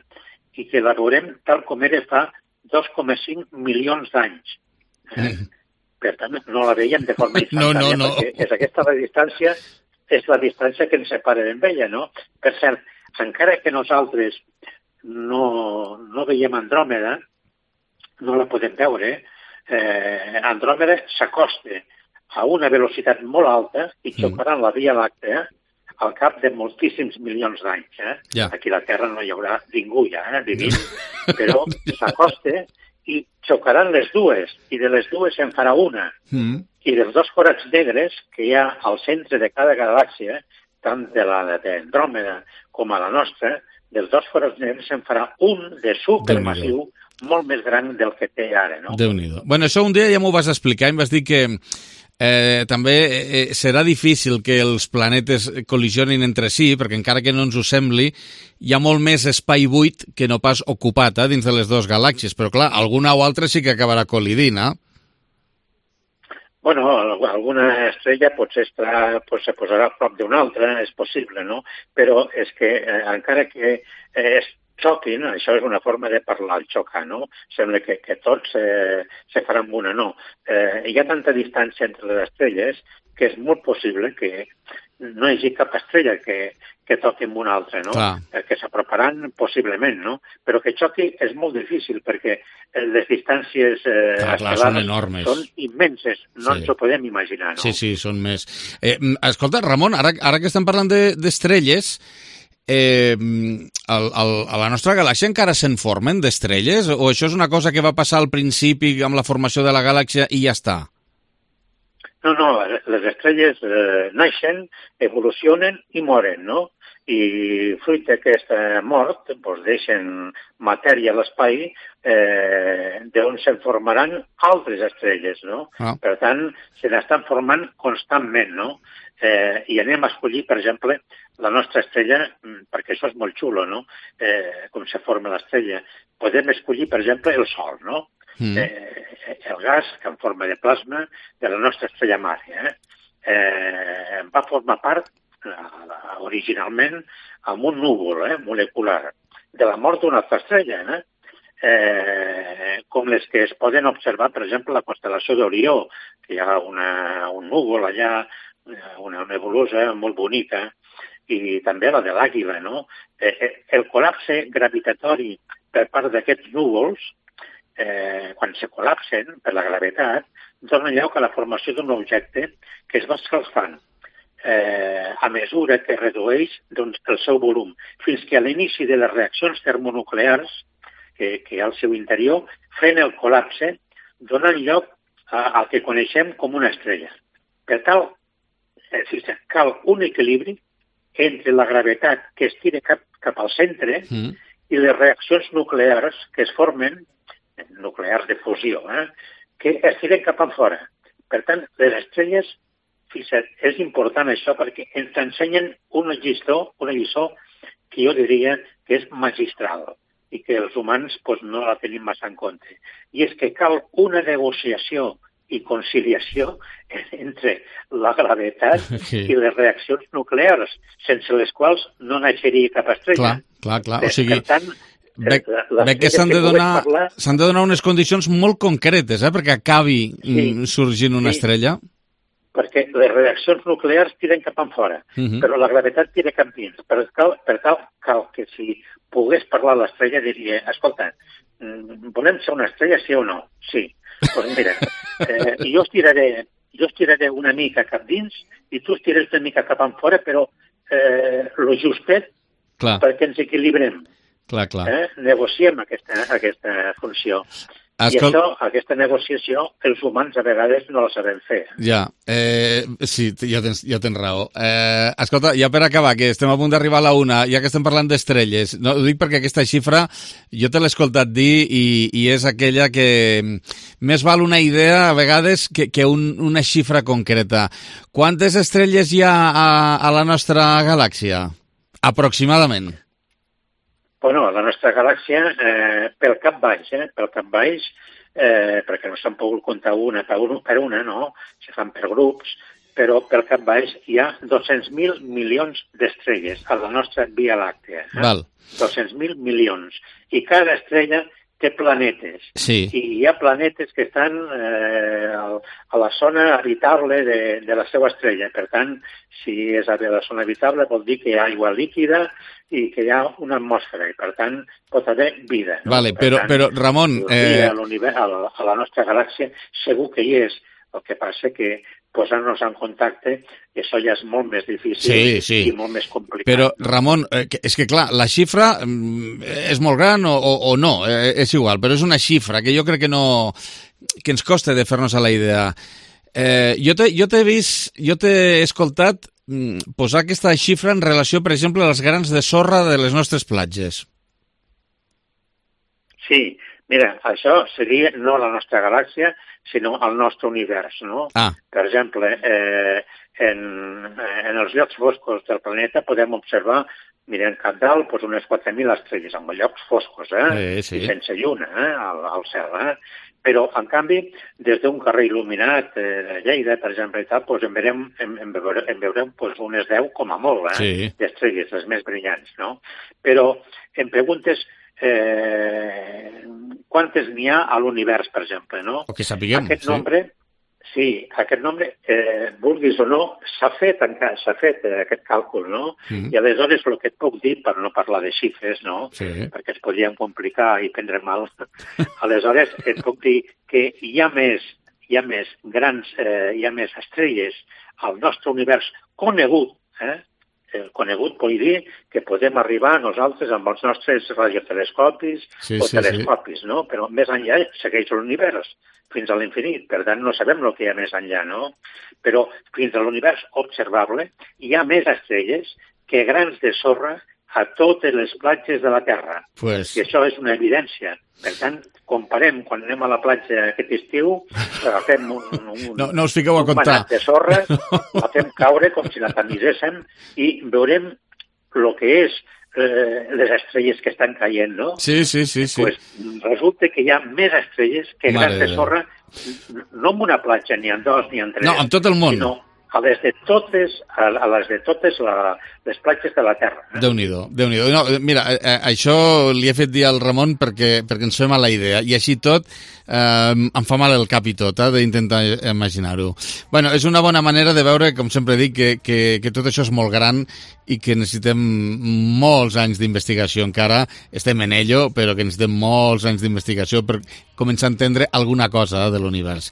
i que la veurem tal com era fa 2,5 milions d'anys. Per tant, no la veiem de forma instantània, perquè aquesta distància és la distància que ens separa d'ella, no? Per cert, encara que nosaltres no veiem Andròmeda, no la podem veure, Andròmeda s'acosta a una velocitat molt alta i xocarà en la Via Làctea al cap de moltíssims milions d'anys. Aquí a la Terra no hi haurà ningú ja vivint, però s'acosta i xocaran les dues, i de les dues se'n farà una. I dels dos forats negres que hi ha al centre de cada galàxia, tant de la d'Andròmeda com a la nostra, dels dos forats negres se'n farà un de supermassiu molt més gran del que té ara, no? Déu-n'hi-do. Bueno, això un dia ja m'ho vas explicar i em vas dir que també serà difícil que els planetes col·lisionin entre si, perquè encara que no ens ho sembli, hi ha molt més espai buit que no pas ocupat dins de les dues galàxies, però clar, alguna o altra sí que acabarà col·lidint, Bueno, alguna estrella potser se posarà a prop d'una altra, és possible, no? Però és que encara que xoquin, això és una forma de parlar, el xocar, no? Sembla que tots se faran una, no. Hi ha tanta distància entre les estrelles que és molt possible que no hi hagi cap estrella que toqui amb una altra, no? Que s'aproparan possiblement, no? Però que xoqui és molt difícil perquè les distàncies són enormes. Són immenses, no ens ho podem imaginar, no? Sí, són més. Escolta, Ramon, ara que estem parlant d'estrelles, a la nostra galàxia encara se'n formen d'estrelles? O això és una cosa que va passar al principi amb la formació de la galàxia i ja està? No, les estrelles naixen, evolucionen i moren, no? I fruit d'aquesta mort doncs deixen matèria a l'espai d'on se'n formaran altres estrelles, no? Per tant, se n'estan formant constantment, no? I anem a escollir, per exemple, la nostra estrella, perquè això és molt xulo, no? Com se forma l'estrella. Podem escollir, per exemple, el Sol, no? El gas que en forma de plasma de la nostra estrella mare. Va formar part originalment amb un núvol molecular de la mort d'una altra estrella, com les que es poden observar, per exemple, la constel·lació d'Orió, que hi ha un núvol allà, una nebulosa molt bonica, i també la de l'Àguila, no? El col·lapse gravitatori per part d'aquests núvols, quan se col·lapsen per la gravetat, dona lloc a la formació d'un objecte que es va escalfant a mesura que redueix el seu volum, fins que a l'inici de les reaccions termonuclears que hi ha al seu interior, fent el col·lapse, donen lloc al que coneixem com una estrella. Per tal, cal un equilibri entre la gravetat que es tira cap al centre i les reaccions nuclears que es formen, nuclears de fusió, que es tiren cap enfora. Per tant, les estrelles, fixa't, és important això perquè ens ensenyen una lliçó que jo diria que és magistral i que els humans no la tenim massa en compte. I és que cal una negociació i conciliació entre la gravetat i les reaccions nuclears, sense les quals no naixeria cap estrella. Clar. O sigui, per tant, veig que s'han de donar unes condicions molt concretes perquè acabi sorgint una estrella. Perquè les reaccions nuclears tiren cap enfora, però la gravetat tira cap dins. Per tal, cal que si pogués parlar l'estrella diria, escolta, volem ser una estrella, sí o no? Sí. Doncs mira, jo es tiraré una mica cap dins i tu es tires una mica cap enfora, però lo justet perquè ens equilibrem. Clar. Negociem aquesta funció. I aquesta negociació, els humans a vegades no la sabem fer. Ja, sí, ja tens raó. Escolta, ja per acabar, que estem a punt d'arribar a la 1, ja que estem parlant d'estrelles, no, ho dic perquè aquesta xifra jo te l'he escoltat dir i és aquella que més val una idea a vegades que una xifra concreta. Quantes estrelles hi ha a la nostra galàxia? Aproximadament. Bueno, la nostra galàxia, pel cap baix, perquè no s'han pogut comptar una per una, no? Se fan per grups, però pel cap baix hi ha 200.000 milions d'estrelles a la nostra Via Làctea. 200.000 milions. I cada estrella té planetes. Sí. I hi ha planetes que estan a la zona habitable de la seva estrella. Per tant, si és a la zona habitable vol dir que hi ha aigua líquida i que hi ha una atmosfera, i per tant pot haver vida. No? Vale, però Ramon... A la nostra galàxia segur que hi és. El que passa que posar-nos en contacte, això ja és molt més difícil i molt més complicat. Però, Ramon, és que clar, la xifra és molt gran o no, és igual, però és una xifra que jo crec que ens costa de fer-nos a la idea. Jo t'he escoltat posar aquesta xifra en relació, per exemple, als grans de sorra de les nostres platges. Sí, mira, això seria no la nostra galàxia, sinó el nostre univers, no? Per exemple, en els llocs foscos del planeta podem observar, mirem cap dalt, unes 4.000 estrelles, en llocs foscos, i sense lluna al cel, Però, en canvi, des d'un carrer il·luminat de Lleida, per exemple, en veurem unes 10 com a molt, d'estrelles, les més brillants, no? Però em preguntes quantes n'hi ha a l'univers, per exemple, no? O que sapiguem, aquest nombre, vulguis o no, s'ha fet aquest càlcul, no? I aleshores el que et puc dir, per no parlar de xifres, no? Perquè es podrien complicar i prendre mal, aleshores et puc dir que hi ha més estrelles al nostre univers conegut, conegut vol dir que podem arribar nosaltres amb els nostres radiotelescopis telescopis, no? Però més enllà segueix l'univers, fins a l'infinit. Per tant, no sabem el que hi ha més enllà, no? Però fins a l'univers observable hi ha més estrelles que grans de sorra a totes les platges de la Terra. I això és una evidència. Per tant, comparem quan anem a la platja aquest estiu, agafem no us fiqueu a comptar. Manat de sorra, la fem caure com si la tamiséssim i veurem el que és les estrelles que estan caient, no? Sí. Pues resulta que hi ha més estrelles que grans de sorra, no en una platja, ni en dos, ni en tres. No, en tot el món. Sinó a les de totes les platges de la Terra. Déu-n'hi-do. No, mira, això li he fet dir al Ramon perquè ens fem a la idea, i així tot em fa mal el cap i tot, d'intentar imaginar-ho. Bueno, és una bona manera de veure, com sempre dic, que tot això és molt gran i que necessitem molts anys d'investigació encara. Estem en ello, però que necessitem molts anys d'investigació per començar a entendre alguna cosa de l'univers.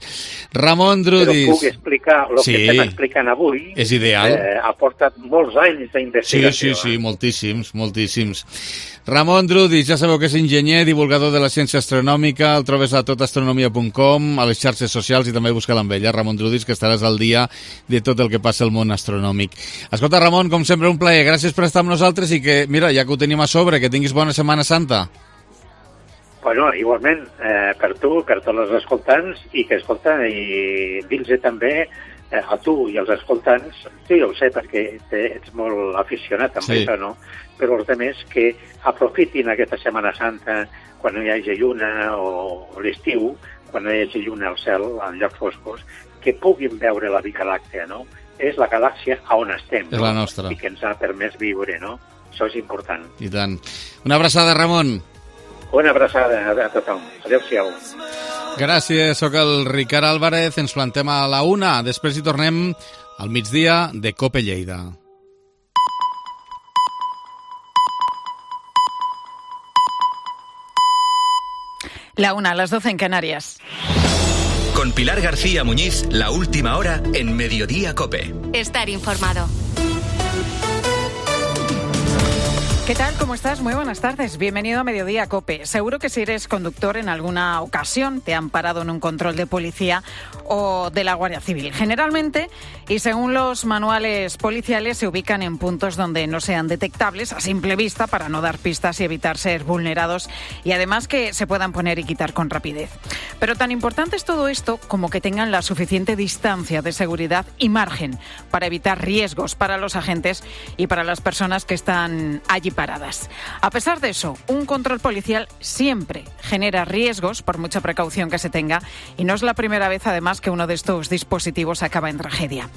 Ramon Drudis... Però puc explicar el que estem explicant avui. És ideal. Ha portat molts anys d'investigació. Sí, moltíssims. Ramon Drudis, ja sabeu que és enginyer, divulgador de la ciència astronòmica, el trobes a totastronomia.com, a les xarxes socials, i també busca-la amb ella, Ramon Drudis, que estaràs al dia de tot el que passa al món astronòmic. Escolta, Ramon, com sempre, un plaer. Gràcies per estar amb nosaltres i que, mira, ja que ho tenim a sobre, que tinguis bona Setmana Santa. Bueno, igualment, per tu, per tots els escoltants, i que escolten, i dins també a tu i als escoltants, tu ja ho sé perquè ets molt aficionat amb això, no? Però els altres que aprofitin aquesta Setmana Santa quan no hi hagi lluna o l'estiu, quan no hi hagi lluna al cel, en llocs foscos, que puguin veure la Via Làctea, no? És la galàxia on estem, és la nostra. I que ens ha permès viure, no? Això és important. I tant. Una abraçada, Ramon. Una abraçada a tothom. Adéu-siau. Gràcies, sóc el Ricard Álvarez, ens plantem a la 1, després hi tornem al migdia de COPE Lleida. La 1, las 12 en Canarias. Con Pilar García Muñiz, la última hora en Mediodía COPE. Estar informado. ¿Qué tal? ¿Cómo estás? Muy buenas tardes. Bienvenido a Mediodía COPE. Seguro que si eres conductor en alguna ocasión te han parado en un control de policía o de la Guardia Civil. Generalmente, y según los manuales policiales, se ubican en puntos donde no sean detectables a simple vista para no dar pistas y evitar ser vulnerados y además que se puedan poner y quitar con rapidez. Pero tan importante es todo esto como que tengan la suficiente distancia de seguridad y margen para evitar riesgos para los agentes y para las personas que están allí paradas. A pesar de eso, un control policial siempre genera riesgos por mucha precaución que se tenga y no es la primera vez además que uno de estos dispositivos acaba en tragedia.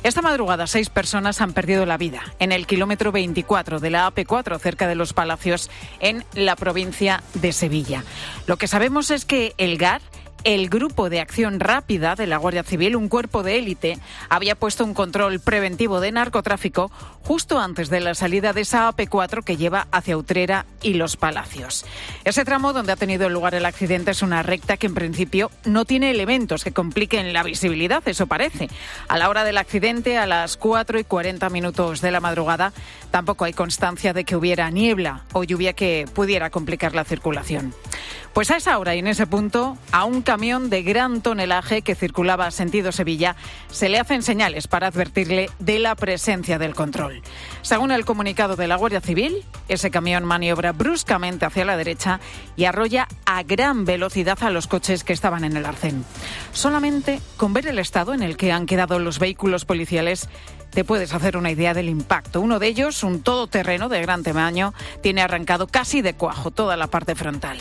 Esta madrugada 6 personas han perdido la vida en el kilómetro 24 de la AP4 cerca de Los Palacios en la provincia de Sevilla. Lo que sabemos es que el GAR, el Grupo de Acción Rápida de la Guardia Civil, un cuerpo de élite, había puesto un control preventivo de narcotráfico justo antes de la salida de esa AP4 que lleva hacia Utrera y Los Palacios. Ese tramo donde ha tenido lugar el accidente es una recta que en principio no tiene elementos que compliquen la visibilidad, eso parece. A la hora del accidente, a las 4:40 de la madrugada, tampoco hay constancia de que hubiera niebla o lluvia que pudiera complicar la circulación. Pues a esa hora y en ese punto, a un camión de gran tonelaje que circulaba sentido Sevilla se le hacen señales para advertirle de la presencia del control. Según el comunicado de la Guardia Civil, ese camión maniobra bruscamente hacia la derecha y arrolla a gran velocidad a los coches que estaban en el arcén. Solamente con ver el estado en el que han quedado los vehículos policiales te puedes hacer una idea del impacto. Uno de ellos, un todoterreno de gran tamaño, tiene arrancado casi de cuajo toda la parte frontal.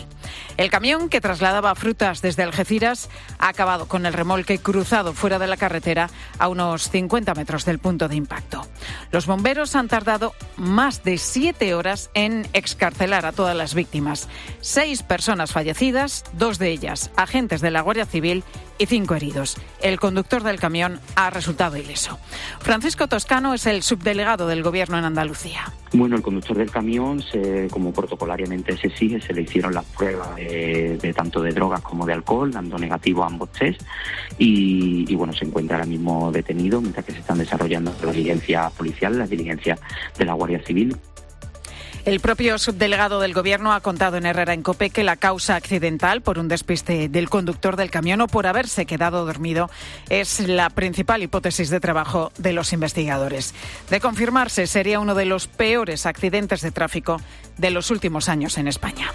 El camión, que trasladaba frutas desde Algeciras, ha acabado con el remolque cruzado fuera de la carretera a unos 50 metros del punto de impacto. Los bomberos han tardado más de 7 horas en excarcelar a todas las víctimas. 6 personas fallecidas, 2 de ellas agentes de la Guardia Civil y 5 heridos. El conductor del camión ha resultado ileso. Francisco Toscano es el subdelegado del Gobierno en Andalucía. Bueno, el conductor del camión, como protocolariamente se exige, se le hicieron las pruebas de tanto de drogas como de alcohol, dando negativo a ambos test, y bueno, se encuentra ahora mismo detenido mientras que se están desarrollando las diligencias policiales, las diligencias de la Guardia Civil. El propio subdelegado del Gobierno ha contado en Herrera en COPE que la causa accidental por un despiste del conductor del camión o por haberse quedado dormido es la principal hipótesis de trabajo de los investigadores. De confirmarse, sería uno de los peores accidentes de tráfico de los últimos años en España.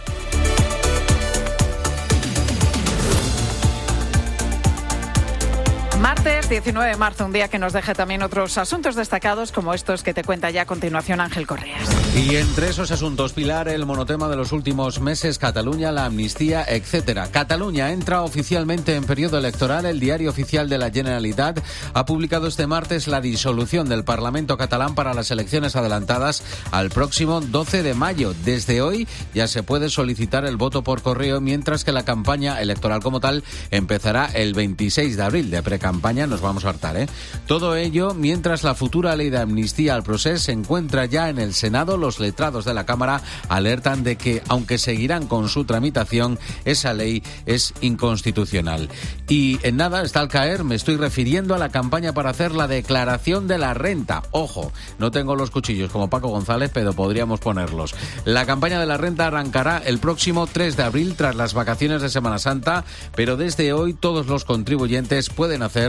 Martes 19 de marzo, un día que nos deja también otros asuntos destacados como estos que te cuenta ya a continuación Ángel Correas. Y entre esos asuntos, Pilar, el monotema de los últimos meses, Cataluña, la amnistía, etcétera. Cataluña entra oficialmente en periodo electoral. El Diario Oficial de la Generalitat ha publicado este martes la disolución del Parlamento catalán para las elecciones adelantadas al próximo 12 de mayo. Desde hoy ya se puede solicitar el voto por correo, mientras que la campaña electoral como tal empezará el 26 de abril. De precampaña nos vamos a hartar, ¿eh? Todo ello mientras la futura ley de amnistía al procés se encuentra ya en el Senado. Los letrados de la Cámara alertan de que, aunque seguirán con su tramitación, esa ley es inconstitucional. Y en nada está al caer, me estoy refiriendo a la campaña para hacer la declaración de la renta. Ojo, no tengo los cuchillos como Paco González, pero podríamos ponerlos. La campaña de la renta arrancará el próximo 3 de abril tras las vacaciones de Semana Santa, pero desde hoy todos los contribuyentes pueden hacer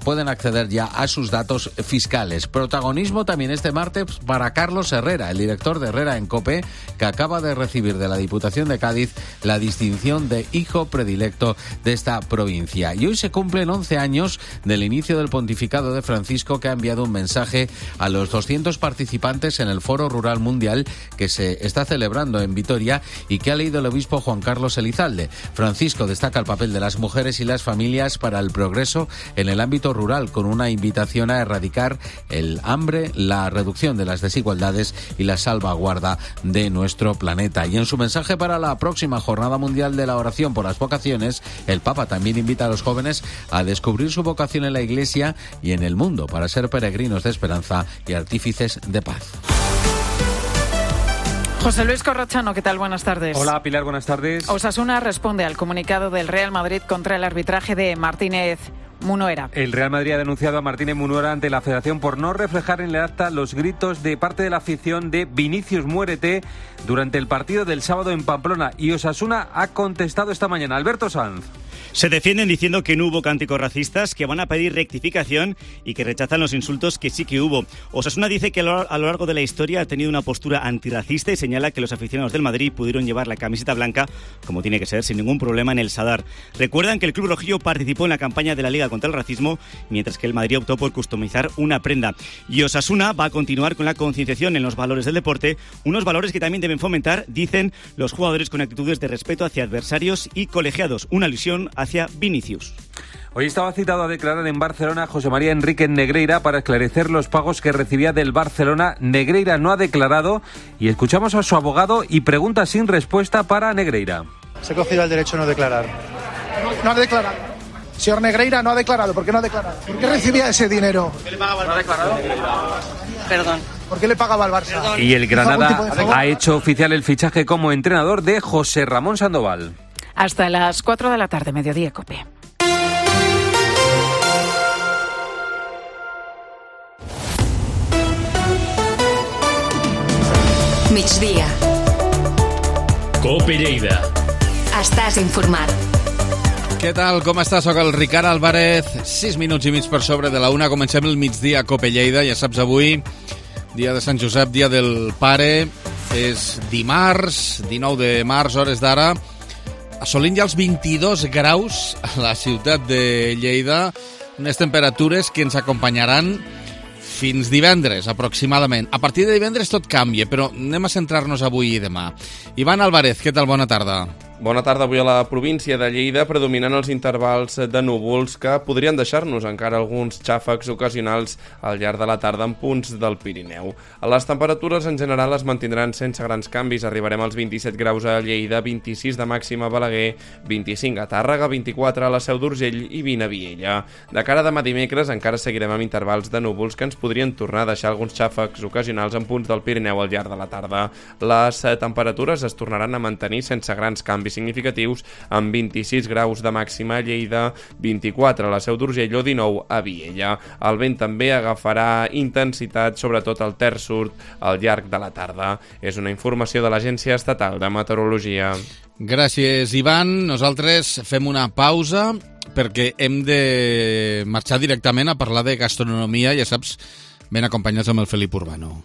pueden acceder ya a sus datos fiscales. Protagonismo también este martes para Carlos Herrera, el director de Herrera en COPE, que acaba de recibir de la Diputación de Cádiz la distinción de hijo predilecto de esta provincia. Y hoy se cumplen 11 años del inicio del pontificado de Francisco, que ha enviado un mensaje a los 200 participantes en el Foro Rural Mundial que se está celebrando en Vitoria y que ha leído el obispo Juan Carlos Elizalde. Francisco destaca el papel de las mujeres y las familias para el progreso en el ámbito rural, con una invitación a erradicar el hambre, la reducción de las desigualdades y la salvaguarda de nuestro planeta. Y en su mensaje para la próxima Jornada Mundial de la Oración por las Vocaciones, el Papa también invita a los jóvenes a descubrir su vocación en la Iglesia y en el mundo para ser peregrinos de esperanza y artífices de paz. José Luis Corrochano, ¿qué tal? Buenas tardes. Hola, Pilar, buenas tardes. Osasuna responde al comunicado del Real Madrid contra el arbitraje de Martínez Munuera. El Real Madrid ha denunciado a Martínez Munuera ante la Federación por no reflejar en el acta los gritos de parte de la afición de Vinicius muérete durante el partido del sábado en Pamplona. Y Osasuna ha contestado esta mañana. Alberto Sanz. Se defienden diciendo que no hubo cánticos racistas, que van a pedir rectificación y que rechazan los insultos que sí que hubo. Osasuna dice que a lo largo de la historia ha tenido una postura antirracista y señala que los aficionados del Madrid pudieron llevar la camiseta blanca, como tiene que ser, sin ningún problema en el Sadar. Recuerdan que el Club Rojillo participó en la campaña de la Liga contra el Racismo, mientras que el Madrid optó por customizar una prenda. Y Osasuna va a continuar con la concienciación en los valores del deporte, unos valores que también deben fomentar, dicen, los jugadores con actitudes de respeto hacia adversarios y colegiados. Una alusión hacia Vinicius. Hoy estaba citado a declarar en Barcelona José María Enríquez Negreira para esclarecer los pagos que recibía del Barcelona. Negreira no ha declarado y escuchamos a su abogado y pregunta sin respuesta para Negreira. Se ha cogido el derecho a no declarar. No ha declarado. Señor Negreira no ha declarado. ¿Por qué no ha declarado? ¿Por qué recibía ese dinero? ¿Por qué le pagaba al Barça? ¿No ha declarado? Perdón. ¿Por qué le pagaba al Barça? Y el Granada ha hecho oficial el fichaje como entrenador de José Ramón Sandoval. Hasta las 4 de la tarde, Mediodía COPE. Migdia. COPE Lleida. Estàs informat. Què tal? Com estàs? Soc el Ricard Álvarez. 6 minuts i mig per sobre de la 1. Comencem el migdia a COPE Lleida. Ja saps, avui, dia de Sant Josep, dia del pare. És dimarts, 19 de març, hores d'ara. Assolint ja els 22 graus a la ciutat de Lleida. Unes temperatures que ens acompanyaran fins divendres, aproximadament. A partir de divendres tot canvia, però anem a centrar-nos avui i demà. Ivan Álvarez, què tal? Bona tarda. Bona tarda. Avui a la província de Lleida predominant els intervals de núvols que podrien deixar-nos encara alguns xàfecs ocasionals al llarg de la tarda en punts del Pirineu. Les temperatures en general es mantindran sense grans canvis. Arribarem als 27 graus a Lleida, 26 de màxima a Balaguer, 25 a Tàrrega, 24 a la Seu d'Urgell i 20 a Viella. De cara a demà dimecres encara seguirem amb intervals de núvols que ens podrien tornar a deixar alguns xàfecs ocasionals en punts del Pirineu al llarg de la tarda. Les temperatures es tornaran a mantenir sense grans canvis significatius, amb 26 graus de màxima a Lleida, 24 a la Seu d'Urgell o 19 a Viella. El vent també agafarà intensitat, sobretot al terç sud, al llarg de la tarda. És una informació de l'Agència Estatal de Meteorologia. Gràcies, Ivan. Nosaltres fem una pausa perquè hem de marxar directament a parlar de gastronomia, ja saps, ben acompanyats amb el Felip Urbano.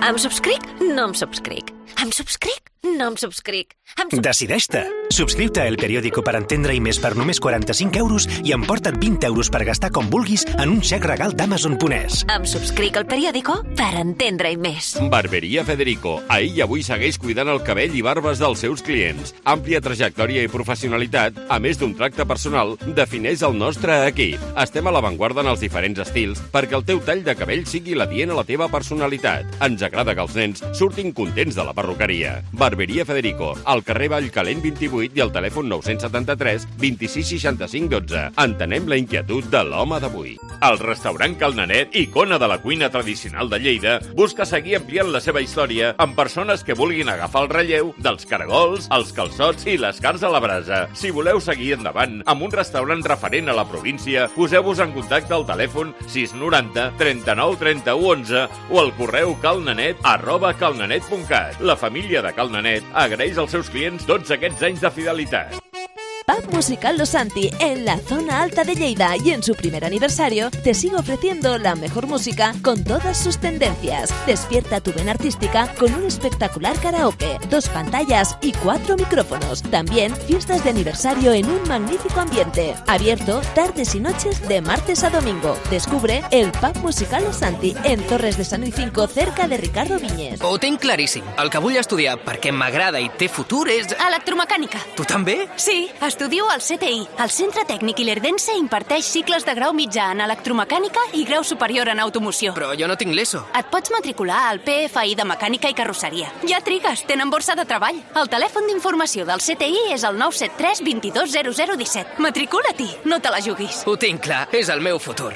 Em subscric? No em subscric. Em subscric? No em subscric. Decideix-te. Subscriu-te a El Periódico per entendre i més per només 45 euros i emporta't 20 euros per gastar com vulguis en un xec regal d'Amazon.es. Em subscric al Periódico per entendre i més. Barberia Federico. Ahir i avui segueix cuidant el cabell i barbes dels seus clients. Àmplia trajectòria i professionalitat, a més d'un tracte personal, defineix el nostre equip. Estem a l'avantguarda en els diferents estils perquè el teu tall de cabell sigui l'adient a la teva personalitat. Ens agrada que els nens surtin contents de la perruqueria. Barberia Federico, al carrer Vallcalent 28 i al telèfon 973 26 65 12. Entenem la inquietud de l'home d'avui. El restaurant Cal Nanet, icona de la cuina tradicional de Lleida, busca seguir ampliant la seva història amb persones que vulguin agafar el relleu dels caragols, els calçots i les carns a la brasa. Si voleu seguir endavant amb un restaurant referent a la província, poseu-vos en contacte al telèfon 690 39 31 11 o al correu calnanet@calnanet.cat. La família de Cal Nanet agraeix als seus clients tots aquests anys de fidelitat. Pub Musical Los Santi, en la zona alta de Lleida, y en su primer aniversario te sigue ofreciendo la mejor música con todas sus tendencias. Despierta tu vena artística con un espectacular karaoke, 2 pantallas y 4 micrófonos. También fiestas de aniversario en un magnífico ambiente. Abierto tardes y noches de martes a domingo. Descubre el Pub Musical Los Santi, en Torres de San Luis, cerca de Ricardo Viñes. Ho tinc claríssim. El que vull estudiar perquè m'agrada i té futur és... Electromecànica. Tu també? Sí, estudio al CTI. El Centre Tècnic Ilerdense imparteix cicles de grau mitjà en electromecànica i grau superior en automoció. Però jo no tinc l'ESO. Et pots matricular al PFI de Mecànica i Carrosseria. Ja trigues, tenen borsa de treball. El telèfon d'informació del CTI és el 973 22 0017. Matricula-t'hi, no te la juguis. Ho tinc clar, és el meu futur.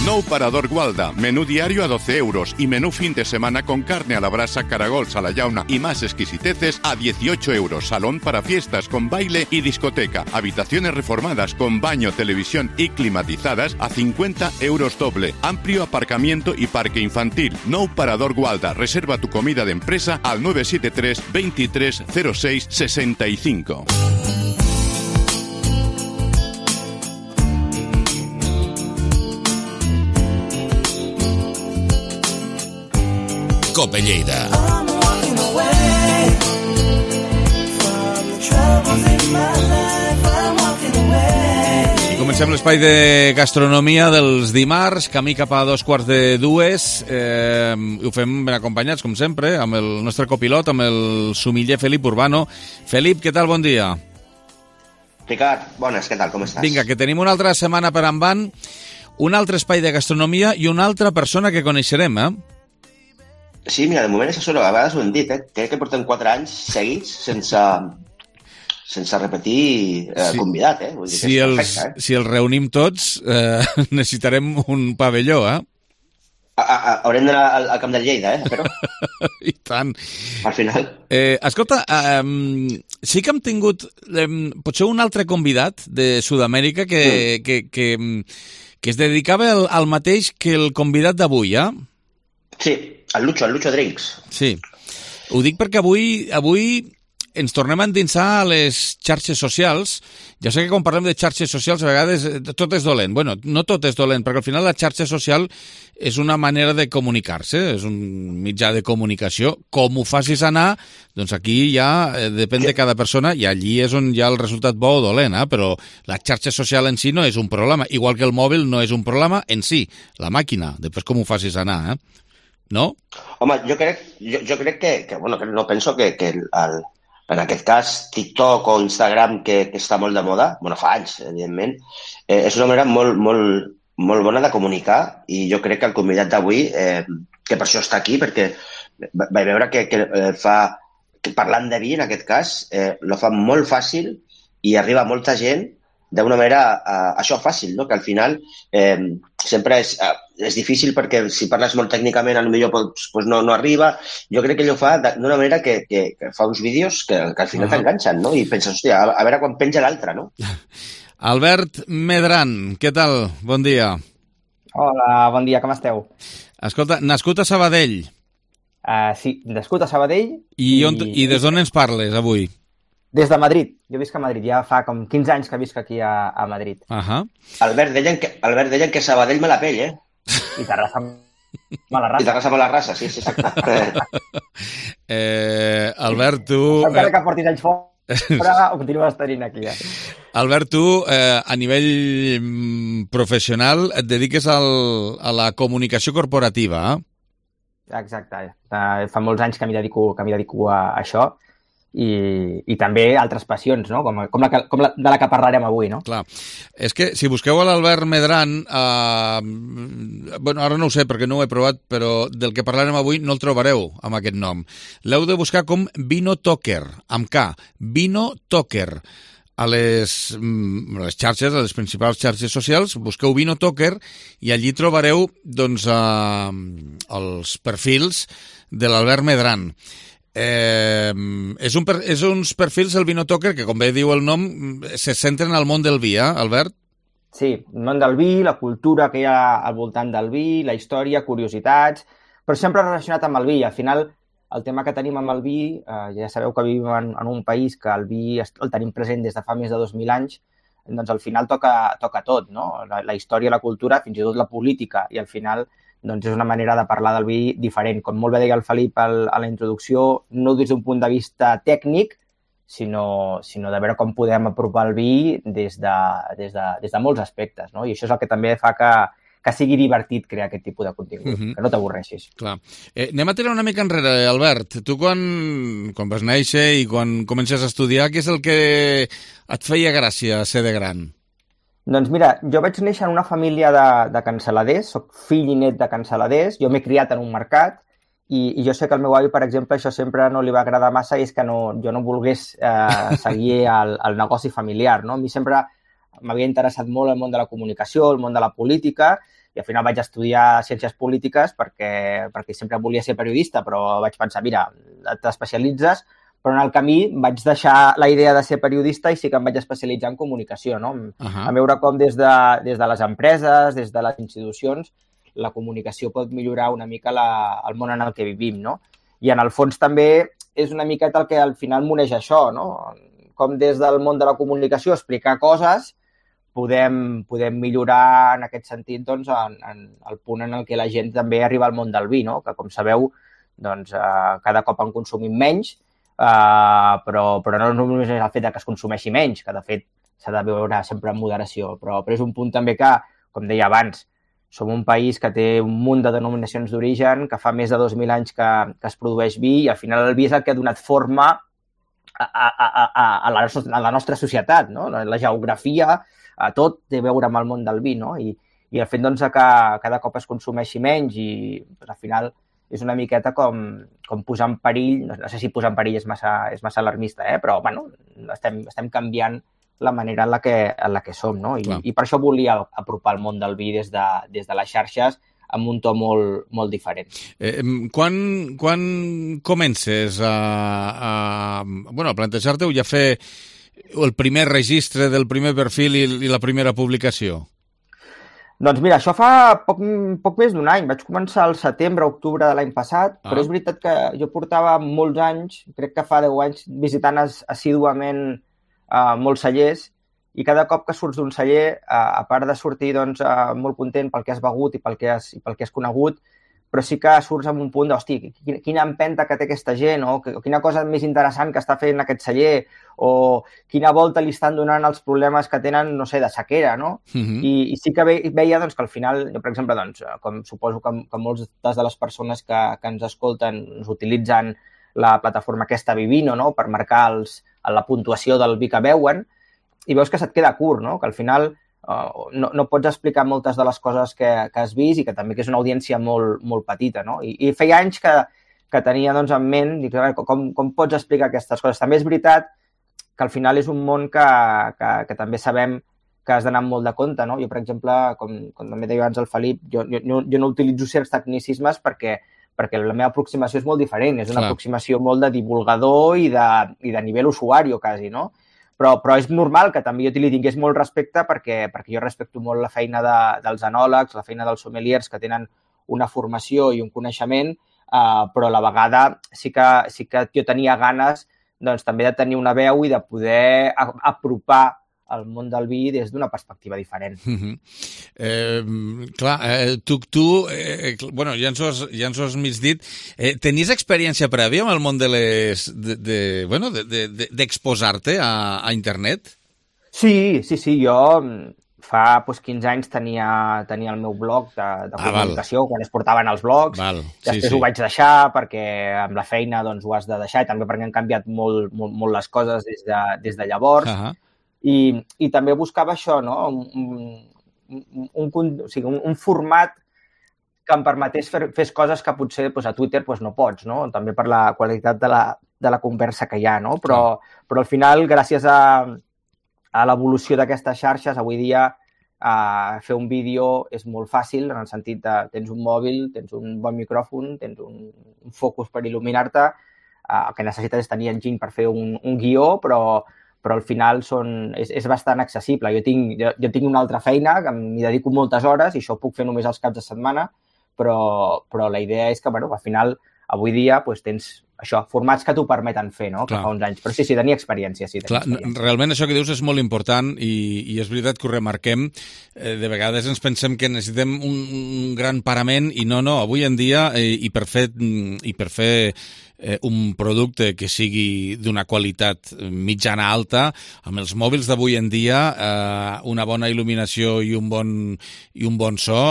Nou Parador Gualda, menú diario a 12 euros y menú fin de semana con carne a la brasa, caragols a la llauna y más exquisiteces a 18 euros. Salón para fiestas con baile y discoteca. Habitaciones reformadas con baño, televisión y climatizadas a 50 euros doble. Amplio aparcamiento y parque infantil. Nou Parador Gualda. Reserva tu comida de empresa al 973 23 06 65. Cope Lleida. I comencem l'espai de gastronomia dels dimarts, camí cap a 2:45. Ho fem ben acompanyats, com sempre, amb el nostre copilot, amb el sumiller Felip Urbano. Felip, què tal? Bon dia. Ricard, bones, què tal? Com estàs? Vinga, que tenim una altra setmana per endavant, un altre espai de gastronomia i una altra persona que coneixerem, Sí, mira, de moment és això, a vegades ho hem dit, crec que portem 4 anys seguits sense repetir convidat, Vull dir que és perfecte, Si els reunim tots, necessitarem un pavelló, Haurem d'anar al camp del Lleida, però... I tant. Al final. Escolta, sí que hem tingut potser un altre convidat de Sud-amèrica que es dedicava al mateix que el convidat d'avui, Sí, el Lucho Drinks. Sí. Ho dic perquè avui ens tornem a endinsar a les xarxes socials. Ja sé que quan parlem de xarxes socials a vegades tot és dolent. Bueno, no tot és dolent, perquè al final la xarxa social és una manera de comunicar-se, és un mitjà de comunicació. Com ho facis anar, doncs aquí ja depèn de cada persona i allí és on hi ha el resultat bo o dolent, però la xarxa social en si no és un problema, igual que el mòbil no és un problema en si, la màquina, després com ho facis anar, no? Home, jo crec que bueno, no penso que en aquest cas TikTok o Instagram, que està molt de moda, bueno, fa anys, evidentment, és una manera molt bona de comunicar i jo crec que el convidat d'avui, que per això està aquí, perquè vaig veure que parlant de vi, en aquest cas, lo fa molt fàcil i arriba a molta gent d'una manera, això fàcil, no? Que al final sempre és difícil perquè si parles molt tècnicament potser pues no arriba. Jo crec que ell ho fa d'una manera que fa uns vídeos que al final t'enganxen, no? I penses, hòstia, a veure quan penja l'altre, no? Albert Medran, què tal? Bon dia. Hola, bon dia, com esteu? Escolta, nascut a Sabadell. Sí, nascut a Sabadell. I des d'on ens parles avui? Des de Madrid. Jo visc a Madrid. Ja fa com 15 anys que visc aquí a Madrid. Albert, deien que Sabadell me la pell, I Terrassa mala raça. I Terrassa mala raça, sí, exacte. Albert, tu... Encara que portis anys fora, ho continues tenint aquí, Albert, tu, a nivell professional, et dediques a la comunicació corporativa, Exacte. Fa molts anys que m'hi dedico a això. I també altres passions, no? Com de la que parlarem avui, no? Clar. És que si busqueu a l'Albert Medran, bueno, ara no ho sé perquè no ho he provat, però del que parlarem avui no el trobareu amb aquest nom. L'heu de buscar com Vino Toker, amb K, Vino Toker. A les xarxes, a les principals xarxes socials, busqueu Vino Toker i allí trobareu doncs els perfils de l'Albert Medran. És uns perfils del Vino Toker que, com bé diu el nom, se centren al món del vi, Albert? Sí, el món del vi, la cultura que hi ha al voltant del vi, la història, curiositats, però sempre relacionat amb el vi. Al final, el tema que tenim amb el vi, ja sabeu que vivim en un país que el vi el tenim present des de fa més de 2.000 anys, doncs al final toca tot, no? La història, la cultura, fins i tot la política, i al final doncs és una manera de parlar del vi diferent. Com molt bé deia el Felip a la introducció, no des d'un punt de vista tècnic, sinó de veure com podem apropar el vi des de molts aspectes, no? I això és el que també fa que sigui divertit crear aquest tipus de contingut, que no t'avorreixis. Clar. Anem a tirar una mica enrere, Albert. Tu quan vas néixer i quan comences a estudiar, què és el que et feia gràcia ser de gran? Doncs mira, jo vaig néixer en una família de cansaladers, soc fill i net de cansaladers, jo m'he criat en un mercat i jo sé que al meu avi, per exemple, això sempre no li va agradar massa i és que jo no volgués seguir el negoci familiar, no? A mi sempre m'havia interessat molt el món de la comunicació, el món de la política, i al final vaig estudiar ciències polítiques perquè sempre volia ser periodista, però vaig pensar, mira, t'especialitzes, però en el camí vaig deixar la idea de ser periodista i sí que em vaig especialitzar en comunicació, no? A veure com des de les empreses, des de les institucions, la comunicació pot millorar una mica el món en el que vivim, no? I en el fons també és una miqueta el que al final m'uneix això, no? Com des del món de la comunicació explicar coses podem millorar en aquest sentit doncs, en el punt en el què la gent també arriba al món del vi, no? Que com sabeu, doncs, cada cop en consumim menys, però no només és el fet que es consumeixi menys, que de fet s'ha de veure sempre en moderació, però és un punt també que, com deia abans, som un país que té un munt de denominacions d'origen, que fa més de 2.000 anys que es produeix vi i al final el vi és el que ha donat forma a la nostra societat, no? La geografia, tot té a veure amb el món del vi, no? I el fet doncs, que cada cop es consumeixi menys i doncs, al final és una miqueta com posar en perill, no sé si posar en perill és massa alarmista, però bueno, estem canviant la manera en la que som, no? I per això volia apropar el món del vi des de les xarxes amb un to molt diferent. Quan comences a plantejar-te-ho i a fer el primer registre del primer perfil i la primera publicació? Doncs mira, això fa poc més d'un any. Vaig començar al setembre-octubre de l'any passat, però és veritat que jo portava molts anys, crec que fa 10 anys, visitant assíduament molts cellers i cada cop que surts d'un celler, a part de sortir doncs, molt content pel que has begut i pel que has conegut, però sí que surts amb un punt d'hosti, quina empenta que té aquesta gent, o quina cosa més interessant que està fent aquest celler, o quina volta li estan donant els problemes que tenen, no sé, de sequera, no? I sí que veia doncs, que al final, jo, per exemple, doncs, com suposo que moltes de les persones que ens escolten ens utilitzen la plataforma aquesta Vivino, no?, per marcar la puntuació del vi que beuen, i veus que se't queda curt, no?, que al final no pots explicar moltes de les coses que has vist i que també que és una audiència molt petita, no? I feia anys que tenia doncs, en ment, dic, com pots explicar aquestes coses? També és veritat que al final és un món que també sabem que has d'anar amb molt de compte, no? Jo, per exemple, com també deia abans el Felip, jo no utilitzo certs tecnicismes perquè la meva aproximació és molt diferent, és una aproximació molt de divulgador i de nivell usuari, quasi, no? Però és normal que també jo li tingués molt respecte perquè jo respecto molt la feina dels enòlegs, la feina dels sommeliers que tenen una formació i un coneixement, però a la vegada sí que jo tenia ganes doncs, també de tenir una veu i de poder apropar el món del vi des d'una perspectiva diferent. Bueno, ja ens ho has mig dit. Tenies experiència prèvia amb el món d'exposar-te a internet? Sí, jo fa 15 anys tenia el meu blog de comunicació, quan es portaven els blogs. Després ho vaig deixar perquè amb la feina doncs, ho has de deixar i també perquè han canviat molt les coses des de llavors. I també buscava això, no? Un format que em permetés fer coses que potser a Twitter no pots, no? També per la qualitat de la conversa que hi ha, no? Però al final, gràcies a l'evolució d'aquestes xarxes, avui dia fer un vídeo és molt fàcil, en el sentit de tens un mòbil, tens un bon micròfon, tens un focus per il·luminar-te, el que necessites és tenir enginy per fer un guió, però al final és bastant accessible. Jo tinc una altra feina, que m'hi dedico moltes hores i això ho puc fer només els caps de setmana, però la idea és que al final avui dia tens això, formats que t'ho permeten fer, no? Que fa uns anys. Però sí, tenia experiència. Sí, realment això que dius és molt important i és veritat que ho remarquem. De vegades ens pensem que necessitem un gran parament i no, avui en dia i per fer un producte que sigui d'una qualitat mitjana alta, amb els mòbils d'avui en dia, una bona il·luminació i un bon so,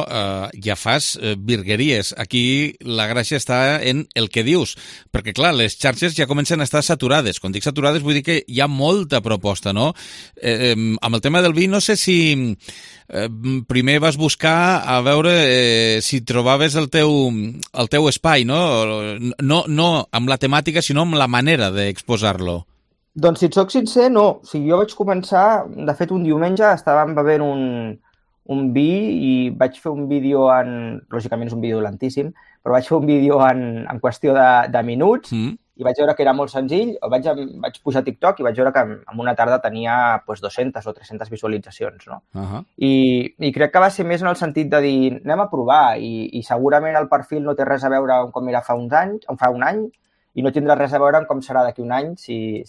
ja fas virgueries. Aquí la gràcia està en el que dius, perquè clar, les xarxes ja comencen a estar saturades. Quan dic saturades vull dir que hi ha molta proposta, no? Amb el tema del vi, no sé si primer vas buscar a veure si trobaves el teu espai, no? No amb la temàtica, sinó amb la manera d'exposar-lo. Doncs si et soc sincer, no. O sigui, jo vaig començar, de fet un diumenge estàvem bevent un vi i vaig fer un vídeo lògicament és un vídeo lentíssim, però vaig fer un vídeo en qüestió de minuts i vaig veure que era molt senzill, vaig pujar a TikTok i vaig veure que en una tarda tenia 200 o 300 visualitzacions, no? I crec que va ser més en el sentit de dir, anem a provar i segurament el perfil no té res a veure amb com era fa un any i no tindrà res a veure amb com serà d'aquí un any si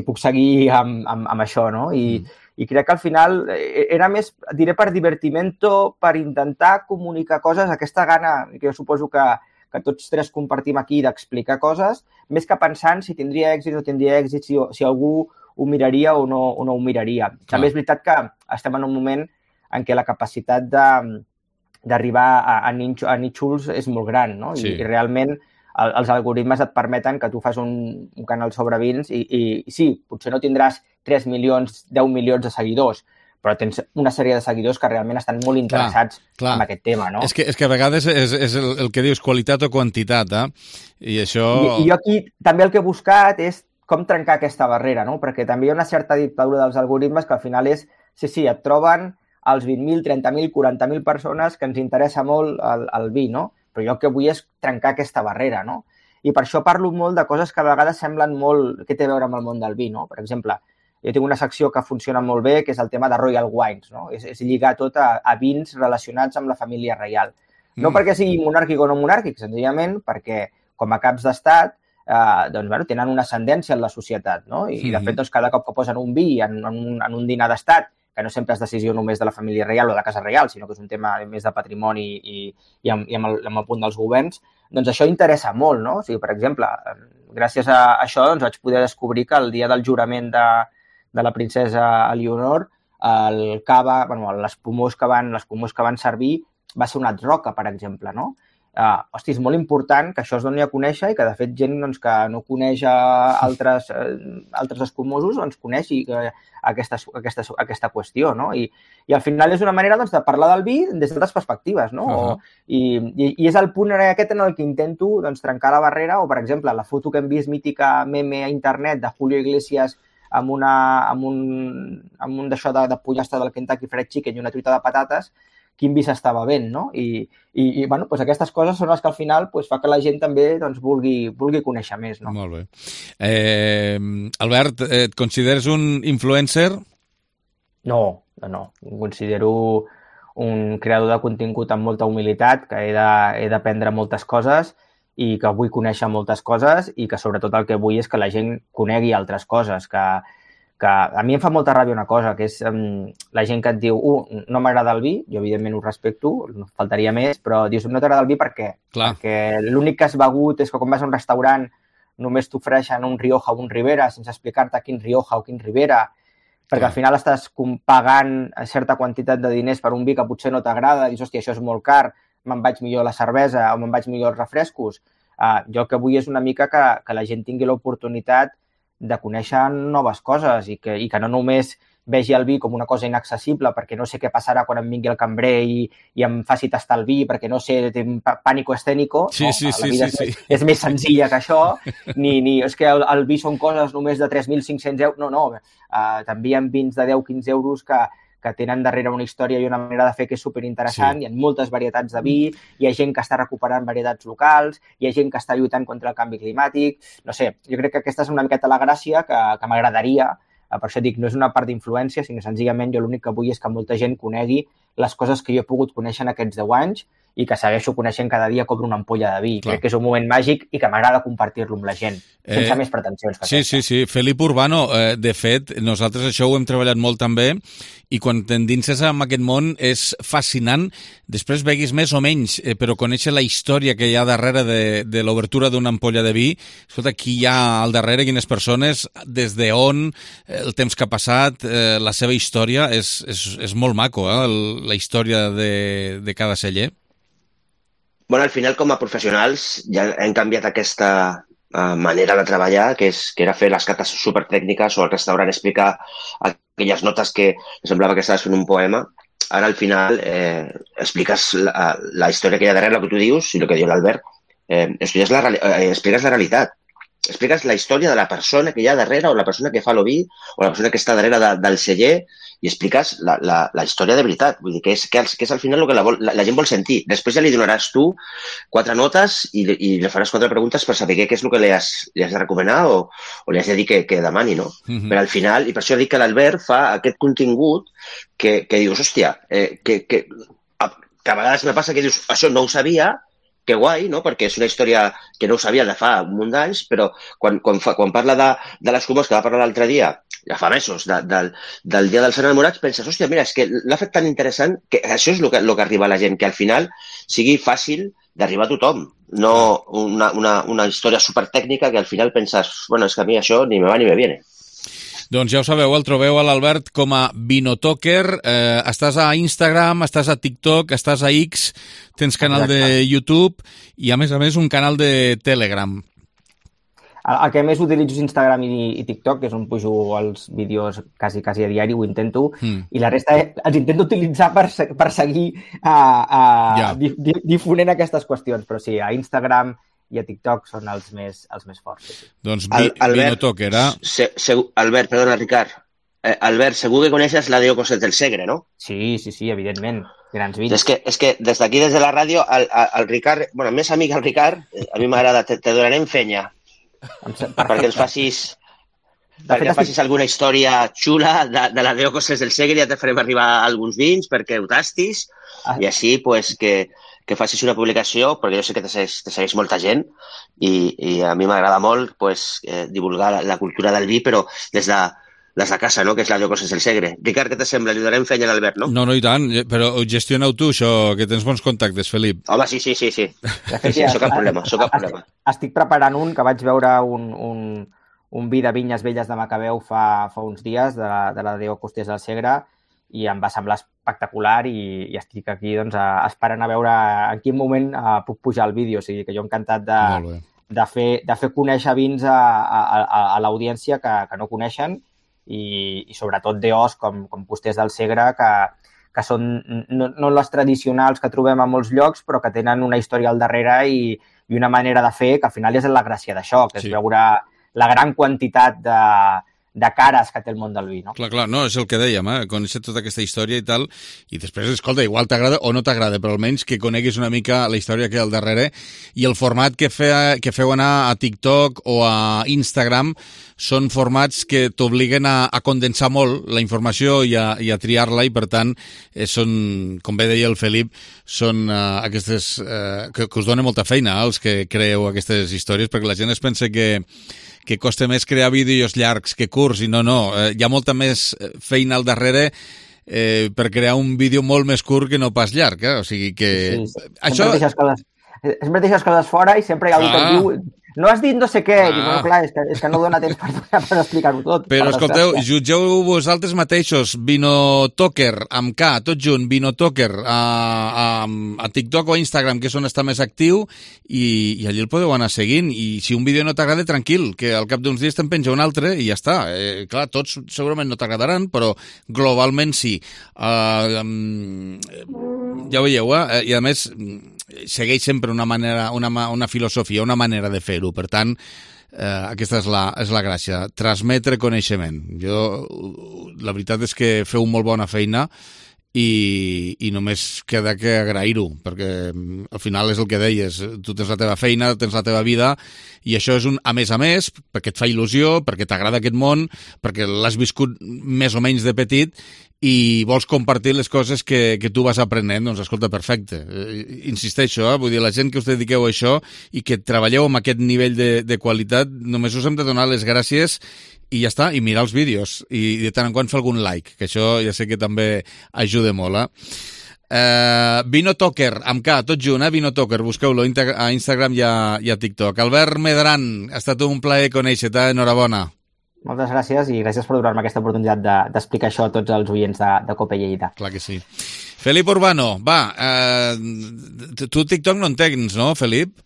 puc seguir amb això, no? I crec que al final era més, diré per divertimento, per intentar comunicar coses, aquesta gana que jo suposo que tots tres compartim aquí d'explicar coses, més que pensant si tindria èxit o no tindria èxit, si algú ho miraria o no ho miraria. També és veritat que estem en un moment en què la capacitat d'arribar a nínxols és molt gran, no? I realment els algoritmes et permeten que tu fas un canal sobre vins i sí, potser no tindràs 3 milions, 10 milions de seguidors, però tens una sèrie de seguidors que realment estan molt interessats en aquest tema, no? És que a vegades és el que dius, qualitat o quantitat, I això... I jo aquí també el que he buscat és com trencar aquesta barrera, no? Perquè també hi ha una certa dictadura dels algoritmes que al final és, sí, et troben els 20.000, 30.000, 40.000 persones que ens interessa molt el vi, no? Però jo el que vull és trencar aquesta barrera, no? I per això parlo molt de coses que a vegades semblen molt... Què té a veure amb el món del vi, no? Per exemple, jo tinc una secció que funciona molt bé, que és el tema de Royal Wines, no? És lligar tot a vins relacionats amb la família reial. No perquè sigui monàrquic o no monàrquic, senzillament perquè, com a caps d'estat, tenen una ascendència en la societat, no? I, de fet, cada cop que posen un vi en un dinar d'estat, que no sempre és decisió només de la família reial o de la casa reial, sinó que és un tema més de patrimoni i amb el punt dels governs, doncs això interessa molt, no? O sigui, per exemple, gràcies a això vaig poder descobrir que el dia del jurament de la princesa Eleonor, el cava, l'espumós que van servir va ser una roca, per exemple, no? Hosti, és molt important que això es doni a conèixer i que, de fet, gent que no coneix altres escumosos coneixi aquesta qüestió, no? I al final és una manera de parlar del vi des d'altres perspectives, no? I és el punt aquest en el que intento trencar la barrera, o, per exemple, la foto que hem vist mítica meme a internet de Julio Iglesias amb un d'això de pollastre del Kentucky Fried Chicken i una truita de patates, quin vi s'estava bevent, no? I aquestes coses són les que al final fa que la gent també vulgui conèixer més, no? Molt bé. Albert, et consideres un influencer? No. Em considero un creador de contingut amb molta humilitat, que he d'aprendre moltes coses i que vull conèixer moltes coses i que sobretot el que vull és que la gent conegui altres coses, que a mi em fa molta ràbia una cosa, que és la gent que et diu no m'agrada el vi, jo evidentment ho respecto, no faltaria més, però dius no t'agrada el vi per què? Perquè l'únic que has begut és que quan vas a un restaurant només t'ofereixen un Rioja o un Ribera sense explicar-te quin Rioja o quin Ribera, perquè al final estàs pagant certa quantitat de diners per un vi que potser no t'agrada, dius, hòstia, això és molt car, me'n vaig millor a la cervesa o me'n vaig millor als refrescos. Jo el que vull és una mica que la gent tingui l'oportunitat de conèixer noves coses i que no només vegi el vi com una cosa inaccessible perquè no sé què passarà quan em vingui el cambrer i em faci tastar el vi perquè no sé, té pànico escènico. La vida és més senzilla que això. És que el vi són coses només de 3.500 euros. No. També hi ha vins de 10-15 euros que tenen darrere una història i una manera de fer que és superinteressant. Hi ha moltes varietats de vi, hi ha gent que està recuperant varietats locals, hi ha gent que està lluitant contra el canvi climàtic. No sé, jo crec que aquesta és una miqueta la gràcia que m'agradaria. Per això dic, no és una part d'influència, sinó senzillament jo l'únic que vull és que molta gent conegui les coses que jo he pogut conèixer en aquests 10 anys i que segueixo coneixent cada dia com una ampolla de vi. Crec que és un moment màgic i que m'agrada compartir-lo amb la gent, sense més pretensions que aquesta. Sí. Felip Urbano, de fet, nosaltres això ho hem treballat molt també, i quan t'endinses en aquest món és fascinant. Després veguis més o menys, però conèixer la història que hi ha darrere de l'obertura d'una ampolla de vi. Escolta, qui hi ha al darrere, quines persones, des d'on, el temps que ha passat, la seva història, és molt maco, la història de cada celler. Bueno, al final, com a professionals, ja hem canviat aquesta manera de treballar, que era fer les cates supertècniques o al restaurant explicar aquelles notes que semblava que estaves fent un poema. Ara, al final, expliques la història que hi ha darrere, el que tu dius i el que diu l'Albert. Expliques la realitat. Expliques la història de la persona que hi ha darrere o la persona que fa l'oví o la persona que està darrere del celler i expliques la història de veritat. Vull dir que és al final el que la gent vol sentir. Després ja li donaràs tu 4 notes i li faràs 4 preguntes per saber què és el que li has de recomanar o li has de dir que demani, no? Però al final, i per això dic que l'Albert fa aquest contingut que dius, hòstia, que a vegades me passa que dius, això no ho sabia, que guai, no? Perquè és una història que no ho sabia de fa un munt d'anys, però quan parla de les comes que va parlar l'altre dia, ja fa mesos, del Dia dels Enamorats, penses, hòstia, mira, és que l'ha fet tan interessant que això és el que arriba a la gent, que al final sigui fàcil d'arribar a tothom, no una història supertècnica que al final penses, bueno, és que a mi això ni me va ni me viene. Doncs ja ho sabeu, el trobeu a l'Albert com a Vinotoker, estàs a Instagram, estàs a TikTok, estàs a X, tens canal de YouTube i a més un canal de Telegram. El que més utilitzo és Instagram i TikTok, que és on pujo els vídeos quasi a diari, ho intento, i la resta els intento utilitzar per seguir difonent aquestes qüestions, però sí, a Instagram i a TikTok són els més forts. Sí. Doncs Vinotoker, Albert, perdona, Ricard. Albert, segur que coneixes la Deo Cosset del Segre, no? Sí, evidentment. Grans vins. És que des d'aquí, des de la ràdio, el Ricard, bueno, més amic el Ricard, a mi m'agrada, te donarem fenya. Perquè ens facis alguna història xula de la Deo Cosset del Segre, ja te farem arribar alguns vins perquè ho tastis i així pues, que facis una publicació, perquè jo sé que te segueix molta gent i a mi m'agrada molt pues, divulgar la cultura del vi, però des de casa, no? Que és la Deo Cosset del Segre. Ricard, què te sembla? Li donarem fenya a l'Albert, no? No, i tant, però gestioneu tu això, que tens bons contactes, Felip. Home, sí. Això cap problema. Estic preparant un que vaig veure un vi de Vinyes Velles de Macabeu fa uns dies, de la Deo Costet del Segre, i em va semblar espectacular i estic aquí doncs, esperant a veure en quin moment puc pujar el vídeo. O sigui que jo encantat de fer conèixer vins a l'audiència que no coneixen i sobretot DOs com Costers del Segre que són no les tradicionals que trobem a molts llocs però que tenen una història al darrere i una manera de fer que al final és la gràcia d'això, que és veure la gran quantitat de cares que té el món del vi, no? Clar, no, és el que dèiem, conèixer tota aquesta història i tal, i després, escolta, igual t'agrada o no t'agrada, però almenys que coneguis una mica la història que hi ha al darrere i el format que feu anar a TikTok o a Instagram són formats que t'obliguen a condensar molt la informació i a triar-la i, per tant, són, com bé deia el Felip, són aquestes que us donen molta feina als que creeu aquestes històries, perquè la gent es pensa que costa més crear vídeos llargs que curts, i no, hi ha molta més feina al darrere per crear un vídeo molt més curt que no pas llarg, o sigui que... Sí. Sempre deixes coses fora i sempre hi ha algú que et diu no has dit no sé què, i dic, no, clar, és que no dona temps per explicar-ho tot. Però escolteu, jutgeu vosaltres mateixos, Vinotoker, amb K, tot junt, Vinotoker, a TikTok o a Instagram, que és on està més actiu, i allí el podeu anar seguint, i si un vídeo no t'agrada, tranquil, que al cap d'uns dies te'n penja un altre i ja està. Clar, tots segurament no t'agradaran, però globalment sí. Ja ho veieu, i a més segueix sempre una filosofia, una manera de fer-ho. Per tant, aquesta és la gràcia, transmetre coneixement. La veritat és que feu molt bona feina i només queda que agrair-ho, perquè al final és el que deies, tu tens la teva feina, tens la teva vida, i això és un a més, perquè et fa il·lusió, perquè t'agrada aquest món, perquè l'has viscut més o menys de petit, i vols compartir les coses que tu vas aprenent, doncs escolta, perfecte. Insisteixo, vull dir, la gent que us dediqueu a això i que treballeu amb aquest nivell de qualitat, només us hem de donar les gràcies i ja està, i mirar els vídeos, i de tant en quant fer algun like, que això ja sé que també ajuda molt, Vinotoker, amb K, tot junt, Vinotoker, busqueu-lo a Instagram i a TikTok. Albert Medran, ha estat un plaer conèixer-te, enhorabona. Moltes gràcies i gràcies per donar-me aquesta oportunitat d'explicar això a tots els oients de COPE Lleida. Clar que sí. Felip Urbano, va, tu TikTok no en tens, no, Felip?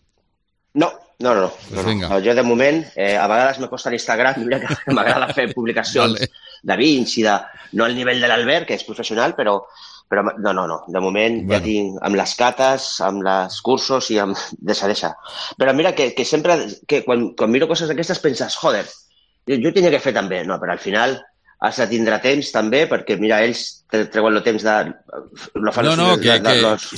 No. Jo de moment, a vegades me costa l'Instagram, mira que m'agrada fer publicacions de vins i no al nivell de l'Albert, que és professional, però no. De moment ja tinc amb les cates, amb els cursos i amb... Deixa. Però mira que sempre, quan miro coses d'aquestes penses, joder, jo ho tenia que fer també, no, però al final has de tindre temps també, perquè mira, ells treuen el temps de...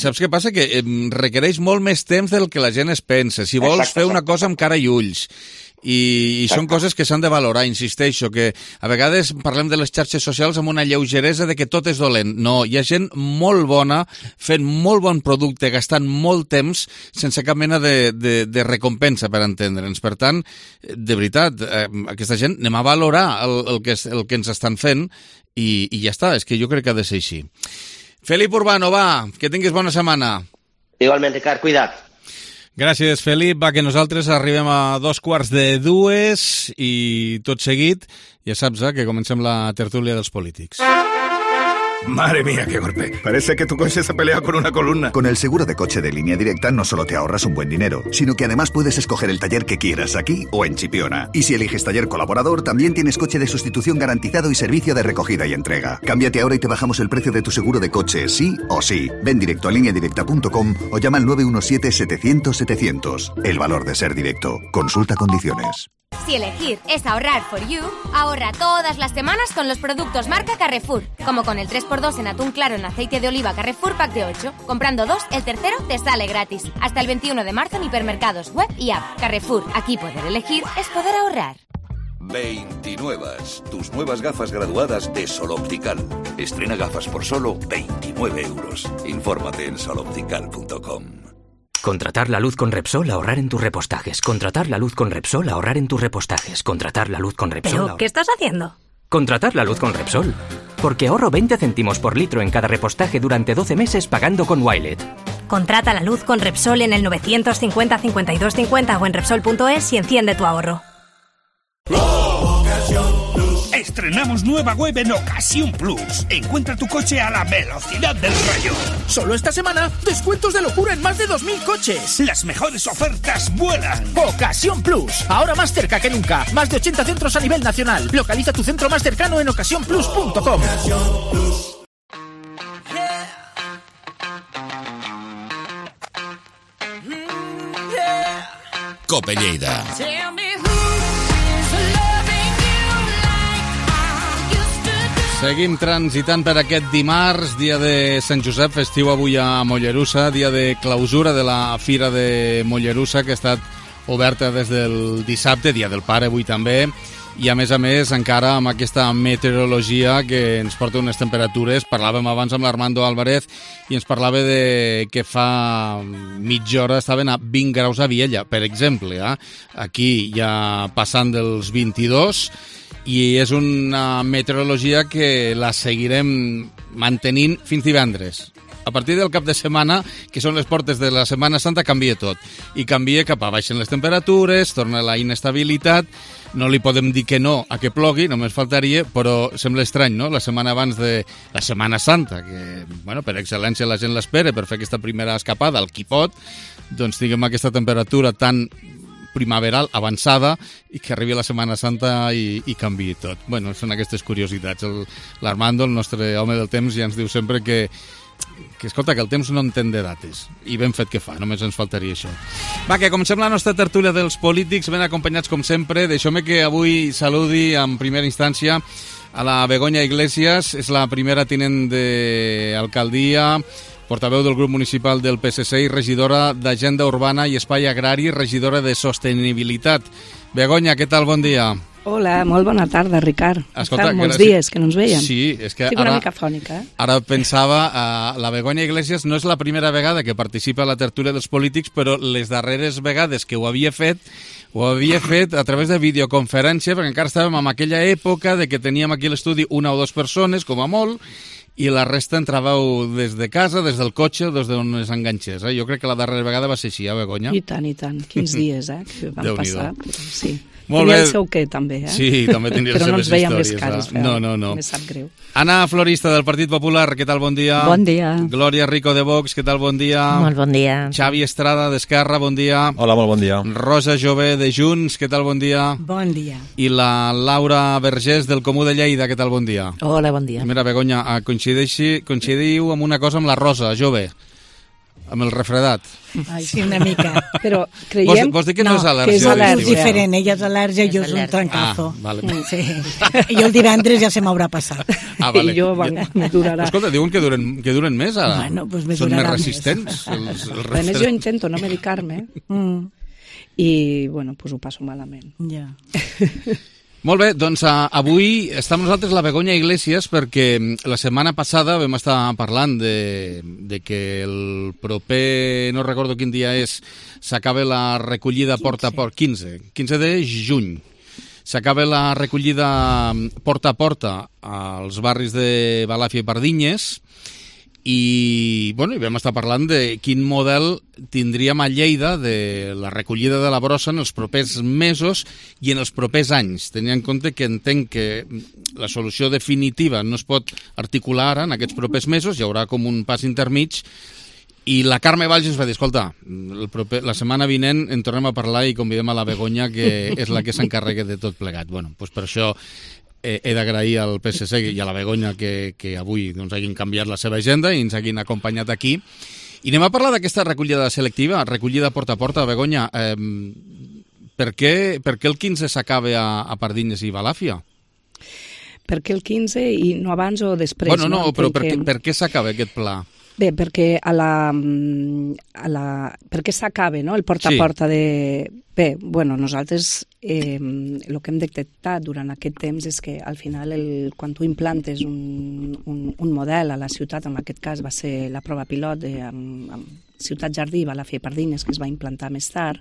Saps què passa? Que requereix molt més temps del que la gent es pensa. Si vols fer una cosa amb cara i ulls. I són coses que s'han de valorar, insisteixo, que a vegades parlem de les xarxes socials amb una lleugeresa de que tot és dolent. No, hi ha gent molt bona, fent molt bon producte, gastant molt temps, sense cap mena de recompensa, per entendre'ns. Per tant, de veritat, aquesta gent anem a valorar el que ens estan fent i ja està, és que jo crec que ha de ser així. Felip Urbano, va, que tinguis bona setmana. Igualment, Ricard, cuida't. Gràcies, Felip. Va, que nosaltres arribem a 2:45 i tot seguit, ja saps, que comencem la tertúlia dels polítics. Madre mía, qué golpe. Parece que tu coche se pelea con una columna. Con el seguro de coche de Línea Directa no solo te ahorras un buen dinero, sino que además puedes escoger el taller que quieras aquí o en Chipiona. Y si eliges taller colaborador, también tienes coche de sustitución garantizado y servicio de recogida y entrega. Cámbiate ahora y te bajamos el precio de tu seguro de coche, sí o sí. Ven directo a lineadirecta.com o llama al 917-700-700. El valor de ser directo. Consulta condiciones. Si elegir es ahorrar for you, ahorra todas las semanas con los productos marca Carrefour, como con el 3x2 en atún claro en aceite de oliva Carrefour Pack de 8. Comprando 2, el tercero te sale gratis. Hasta el 21 de marzo en hipermercados, web y app. Carrefour, aquí poder elegir es poder ahorrar. 29. Tus nuevas gafas graduadas de Sol Optical. Estrena gafas por solo 29 euros. Infórmate en soloptical.com. Contratar la luz con Repsol, ahorrar en tus repostajes. Contratar la luz con Repsol, ahorrar en tus repostajes. Contratar la luz con Repsol. ¿Pero qué estás haciendo? Contratar la luz con Repsol. Porque ahorro 20 céntimos por litro en cada repostaje durante 12 meses pagando con Wilet. Contrata la luz con Repsol en el 950 52 50 o en Repsol.es y enciende tu ahorro. Estrenamos nueva web en Ocasión Plus. Encuentra tu coche a la velocidad del rayo. Solo esta semana, descuentos de locura en más de 2.000 coches. Las mejores ofertas vuelan. Ocasión Plus, ahora más cerca que nunca. Más de 80 centros a nivel nacional. Localiza tu centro más cercano en ocasiónplus.com. COPE Lleida. Seguim transitant per aquest dimarts, dia de Sant Josep, festiu avui a Mollerussa, dia de clausura de la Fira de Mollerussa, que ha estat oberta des del dissabte, dia del pare avui també, i a més encara amb aquesta meteorologia que ens porta unes temperatures. Parlàvem abans amb l'Armando Álvarez i ens parlava de que fa mitja hora estaven a 20 graus a Viella, per exemple. Aquí ja passant dels 22, i és una meteorologia que la seguirem mantenint fins divendres. A partir del cap de setmana, que són les portes de la Setmana Santa, canvia tot. I canvia cap a baixen les temperatures, torna la inestabilitat. No li podem dir que no a que plogui, només faltaria, però sembla estrany, no?, la setmana abans de la Setmana Santa, que, bueno, per excel·lència la gent l'espera per fer aquesta primera escapada al Quipot, doncs tinguem aquesta temperatura tan primaveral avançada i que arribi la Setmana Santa i canviï tot. Bueno, són aquestes curiositats. L'Armando, el nostre home del temps, ja ens diu sempre que escolta, que el temps no entén de dates, i ben fet que fa, només ens faltaria això. Va, que comencem la nostra tertúlia dels polítics, ben acompanyats com sempre. Deixeu-me que avui saludi en primera instància a la Begoña Iglesias, és la primera tinent d'alcaldia, portaveu del grup municipal del PSC i regidora d'Agenda Urbana i Espai Agrari, regidora de Sostenibilitat. Begoña, què tal? Bon dia. Hola, molt bona tarda, Ricard. Escolta, fa molts dies que no ens veiem. Sí, és que estic una mica fònica. Ara pensava, la Begoña Iglesias no és la primera vegada que participa a la tertúlia dels polítics, però les darreres vegades que ho havia fet a través de videoconferència, perquè encara estàvem en aquella època de que teníem aquí a l'estudi una o dues persones, com a molt, i la resta entràveu des de casa, des del cotxe o des d'on es enganxés. Jo crec que la darrera vegada va ser així, Begoña? I tant, quins dies, que van passar. Sí. Molt tenia bé. el seu què, també, Sí, també tindria les seves històries. Però no ens veiem les cares, No. Me sap greu. Ana Florista, del Partit Popular, què tal? Bon dia. Bon dia. Glòria Rico, de Vox, què tal? Bon dia. Molt bon dia. Xavi Estrada, d'Esquerra, bon dia. Hola, molt bon dia. Rosa Jové, de Junts, què tal? Bon dia. Bon dia. I la Laura Vergés, del Comú de Lleida, què tal? Bon dia. Hola, bon dia. Mira, Begoña, coincidiu amb una cosa amb la Rosa Jové, amb el refredat. Ai, sí, una mica. Però creiem... Vols dir que no és al·lèrgia? Que és al·lèrgia. És diferent, ella és al·lèrgia i jo és un trancazo. Vale. Sí. I el divendres ja se m'haurà passat. Vale. I jo, me durarà. Escolta, diuen que duren més ara. Bueno, pues me són durarà més resistents. A més, jo intento no medicar-me i, bueno, pues ho passo malament. Ja. Molt bé, doncs avui està amb nosaltres la Begoña Iglesias perquè la setmana passada vam estar parlant de que el proper, no recordo quin dia és, s'acaba la recollida porta a porta, 15 de juny. S'acaba la recollida porta a porta als barris de Balàfia i Pardinyes i vam estar parlant de quin model tindríem a Lleida de la recollida de la brossa en els propers mesos i en els propers anys, tenint en compte que entenc que la solució definitiva no es pot articular ara en aquests propers mesos, hi haurà com un pas intermig. I la Carme Valls ens va dir, escolta, la setmana vinent en tornem a parlar i convidem a la Begoña, que és la que s'encarrega de tot plegat. Per això he d'agrair al PSC i a la Begoña que avui hagin canviat la seva agenda i ens hagin acompanyat aquí. I anem a parlar d'aquesta recollida selectiva, recollida porta a porta. Begoña, per què el 15 s'acaba a Pardinyes i Balàfia? Per què el 15 i no abans o després? Però per què s'acaba aquest pla? Bé, perquè perquè s'acaba, no?, el porta a porta de... Bé, nosaltres el que hem detectat durant aquest temps és que al final quan tu implantes un model a la ciutat, en aquest cas va ser la prova pilot amb Ciutat Jardí, Balàfia i Pardinyes, que es va implantar més tard,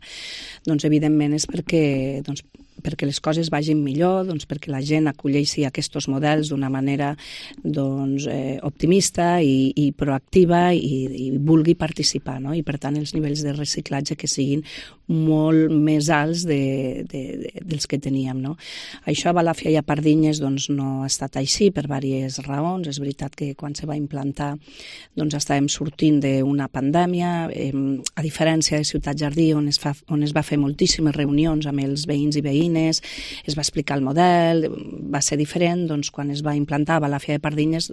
doncs evidentment és perquè les coses vagin millor, perquè la gent acolleixi aquests models d'una manera optimista i proactiva i vulgui participar, no? I per tant els nivells de reciclatge que siguin molt més alts dels que teníem, no? Això a Balàfia i a Pardinyes no ha estat així per diverses raons. És veritat que quan se va implantar estàvem sortint d'una pandèmia, a diferència de Ciutat Jardí, on es va fer moltíssimes reunions amb els veïns i veïnes, es va explicar el model, va ser diferent. Quan es va implantar a Balàfia i Pardinyes,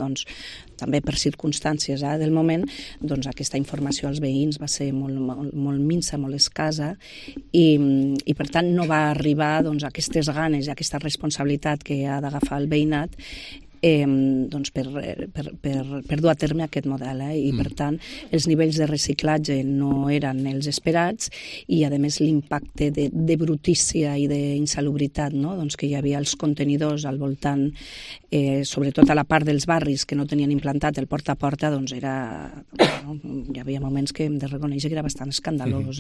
també per circumstàncies del moment, aquesta informació als veïns va ser molt minsa, molt escassa, i per tant no va arribar aquestes ganes i aquesta responsabilitat que ha d'agafar el veïnat per dur a terme aquest model, i per tant els nivells de reciclatge no eren els esperats i a més l'impacte de brutícia i d'insalubritat que hi havia als contenidors al voltant, sobretot a la part dels barris que no tenien implantat el porta a porta, hi havia moments que hem de reconèixer que era bastant escandalós.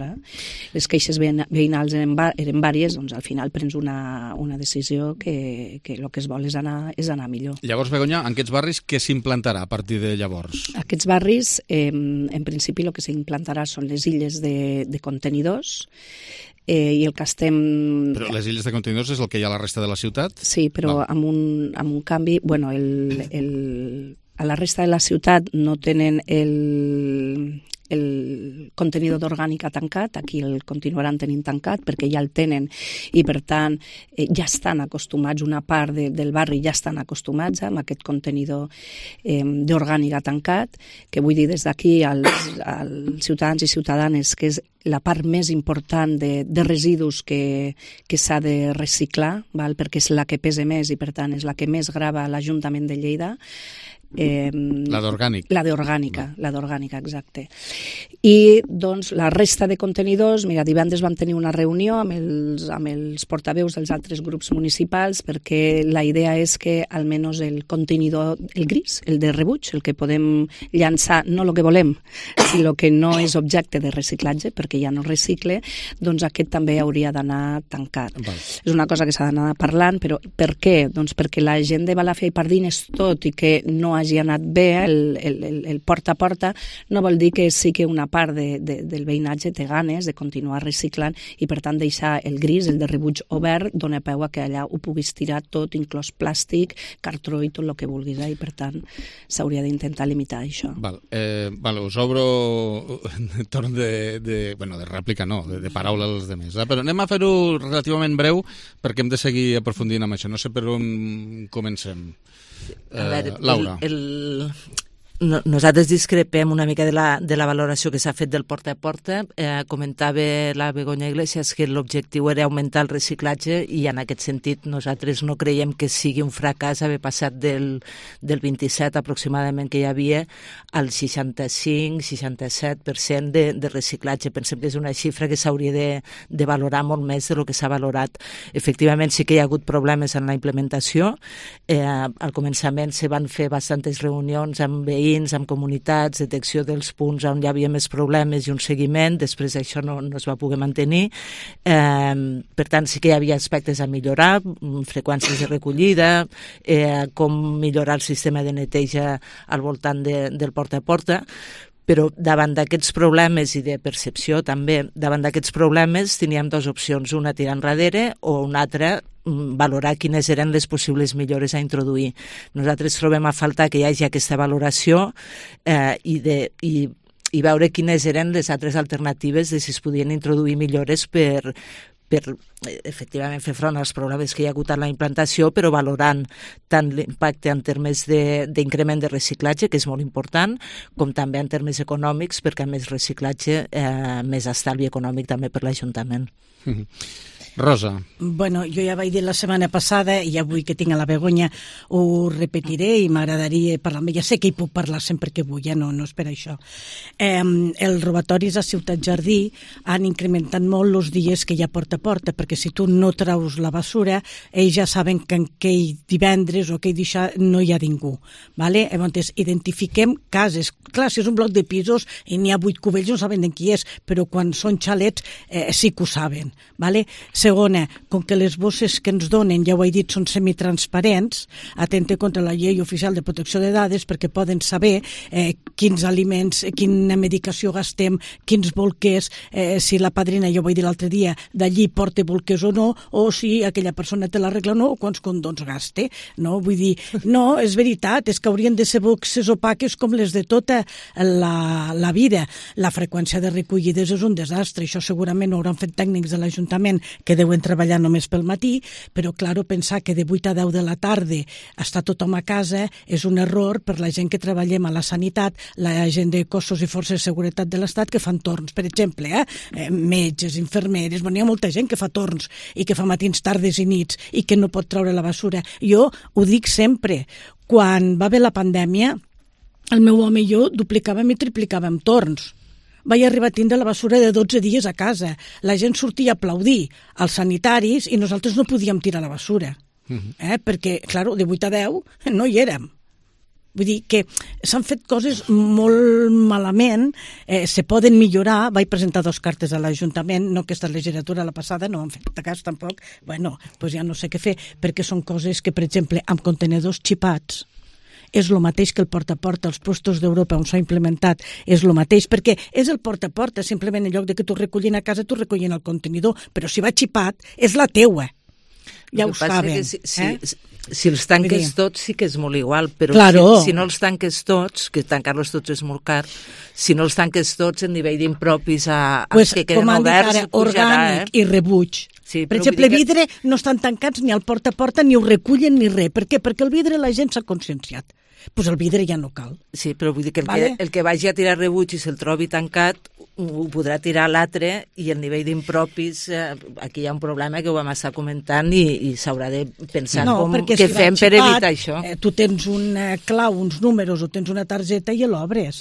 Les queixes veïnals eren vàries, al final prens una decisió que el que es vol és anar millor. Llavors, Begoña, en aquests barris què s'implantarà a partir de llavors? Aquests barris, en principi, el que s'implantarà són les illes de contenidors, i el que estem... Però les illes de contenidors és el que hi ha a la resta de la ciutat? Sí, però amb un canvi... A la resta de la ciutat no tenen el contenidor d'orgànica tancat, aquí el continuaran tenint tancat perquè ja el tenen i per tant ja estan acostumats, una part del barri ja estan acostumats amb aquest contenidor d'orgànica tancat, que vull dir des d'aquí als ciutadans i ciutadanes que la part més important de residus que s'ha de reciclar, perquè és la que pesa més i, per tant, és la que més grava l'Ajuntament de Lleida. La d'orgànic. La d'orgànica, exacte. I, doncs, la resta de contenidors, mira, divendres vam tenir una reunió amb els portaveus dels altres grups municipals perquè la idea és que almenys el contenidor, el gris, el de rebuig, el que podem llançar, no el que volem, sinó que no és objecte de reciclatge perquè ja no recicle, doncs aquest també hauria d'anar tancat. És una cosa que s'ha d'anar parlant, però per què? Doncs perquè la gent de Balàfia i Pardines, tot i que no hagi anat bé el porta a porta, no vol dir que sí que una part del veïnatge té ganes de continuar reciclant i, per tant, deixar el gris, el de rebuig obert, dona peu a que allà ho puguis tirar tot, inclòs plàstic, cartró i tot el que vulguis, i, per tant, s'hauria d'intentar limitar això. Us obro torn de rèplica, no, de paraula als altres, però anem a fer-ho relativament breu perquè hem de seguir aprofundint amb això. No sé per on comencem. Laura. Nosaltres discrepem una mica de la valoració que s'ha fet del porta a porta. Comentava la Begoña Iglesias que l'objectiu era augmentar el reciclatge i en aquest sentit nosaltres no creiem que sigui un fracàs haver passat del 27 aproximadament que hi havia al 65-67% de reciclatge. Pensem que és una xifra que s'hauria de valorar molt més de lo que s'ha valorat. Efectivament sí que hi ha hagut problemes en la implementació. Al començament se van fer bastantes reunions amb veïns, amb comunitats, detecció dels punts on hi havia més problemes i un seguiment. Després això no es va poder mantenir. Per tant, sí que hi havia aspectes a millorar, freqüències de recollida, com millorar el sistema de neteja al voltant del porta a porta, però davant d'aquests problemes i de percepció també, davant d'aquests problemes teníem dues opcions, una tirar enrere o una altra valorar quines eren les possibles millores a introduir. Nosaltres trobem a faltar que hi hagi aquesta valoració i veure quines eren les altres alternatives de si es podien introduir millores per efectivament fer front als problemes que hi ha hagut en la implantació, però valorant tant l'impacte en termes d'increment de reciclatge, que és molt important, com també en termes econòmics, perquè a més reciclatge, més estalvi econòmic també per l'Ajuntament. Rosa. Bueno, jo ja vaig dir la setmana passada i avui que tinc a la Begoña ho repetiré i m'agradaria parlar amb ella. Sé que hi puc parlar sempre que vull, no és per això. Els robatoris a Ciutat Jardí han incrementat molt els dies que hi ha porta a porta, perquè si tu no traus la basura, ells ja saben que en aquell divendres o aquell deixar no hi ha ningú. Llavors, identifiquem cases. Clar, si és un bloc de pisos i n'hi ha 8 cubells no saben de qui és, però quan són xalets sí que ho saben. Segona, com que les bosses que ens donen, ja ho he dit, són semitransparents, atente contra la llei oficial de protecció de dades perquè poden saber quins aliments, quina medicació gastem, quins bolquers, si la padrina, ja ho he dit l'altre dia, d'allí porta bolquers o no, o si aquella persona té la regla o no, o quants condons gaste. No? Vull dir, no, és veritat, és que haurien de ser boxes opaques com les de tota la vida. La freqüència de recollides és un desastre, això segurament ho hauran fet tècnics de l'Ajuntament que deuen treballar només pel matí, però, claro, pensar que de 8 a 10 de la tarda està tothom a casa és un error per la gent que treballem a la sanitat, la gent de cossos i forces de seguretat de l'Estat que fan torns, per exemple, metges, infermeres, hi ha molta gent que fa torns i que fa matins, tardes i nits i que no pot treure la basura. Jo ho dic sempre, quan va haver la pandèmia, el meu home i jo duplicàvem i triplicàvem torns. Vaig arribar a tindre la basura de 12 dies a casa. La gent sortia a aplaudir als sanitaris i nosaltres no podíem tirar la basura. Perquè, clar, de 8 a 10 no hi érem. Vull dir que s'han fet coses molt malament, se poden millorar. Vaig presentar 2 cartes a l'Ajuntament, no aquesta legislatura, la passada, no han fet cas tampoc. Bueno, doncs ja no sé què fer, perquè són coses que, per exemple, amb contenedors xipats, és el mateix que el porta a porta, els puestos d'Europa on s'ha implementat, és el mateix, perquè és el porta a porta, simplement en lloc de que tu recullin a casa, tu recullin el contenidor, però si va xipat, és la teua. Ja ho saben. Si els tanques tots sí que és molt igual, però si no els tanques tots, que tancar-los tots és molt car, si no els tanques tots en nivell d'impropis que queden oberts, orgànic i rebuig. Sí, per exemple, el vidre no estan tancats ni al porta a porta, ni ho recullen ni res. Per què? Perquè el vidre la gent s'ha conscienciat. Doncs el vidre ja no cal. Sí, però vull dir que el que vagi a tirar rebuig i se'l trobi tancat ho podrà tirar l'altre, i el nivell d'impropis, aquí hi ha un problema que ho vam estar comentant i s'haurà de pensar què fem per evitar això. Tu tens un clau, uns números, o tens una targeta i l'obres.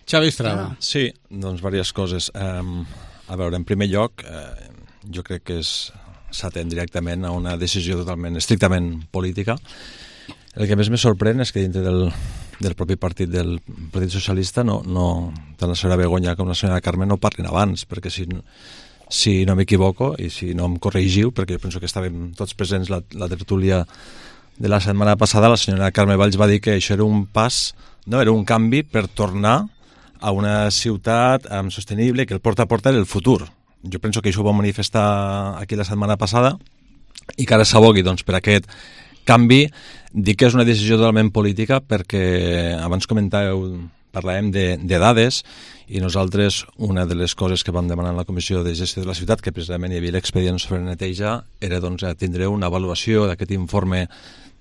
Xavi Estrada. Sí, doncs diverses coses. A veure, en primer lloc, jo crec que s'atén directament a una decisió totalment, estrictament política. El que més me sorprèn és que dintre del propi partit del Partit Socialista tant la senyora Begoña com la senyora Carme no parlin abans, perquè si no m'equivoco i si no em corregiu, perquè jo penso que estàvem tots presents la tertúlia de la setmana passada, la senyora Carme Valls va dir que això era un pas, no, era un canvi per tornar a una ciutat sostenible, que el porta a porta era el futur. Jo penso que això ho va manifestar aquí la setmana passada i que ara s'abogui per aquest canvi. Dic que és una decisió totalment política perquè abans parlàvem de dades, i nosaltres una de les coses que vam demanar en la Comissió de Gestió de la Ciutat, que precisament hi havia l'expedient sobre neteja, era tindre una avaluació d'aquest informe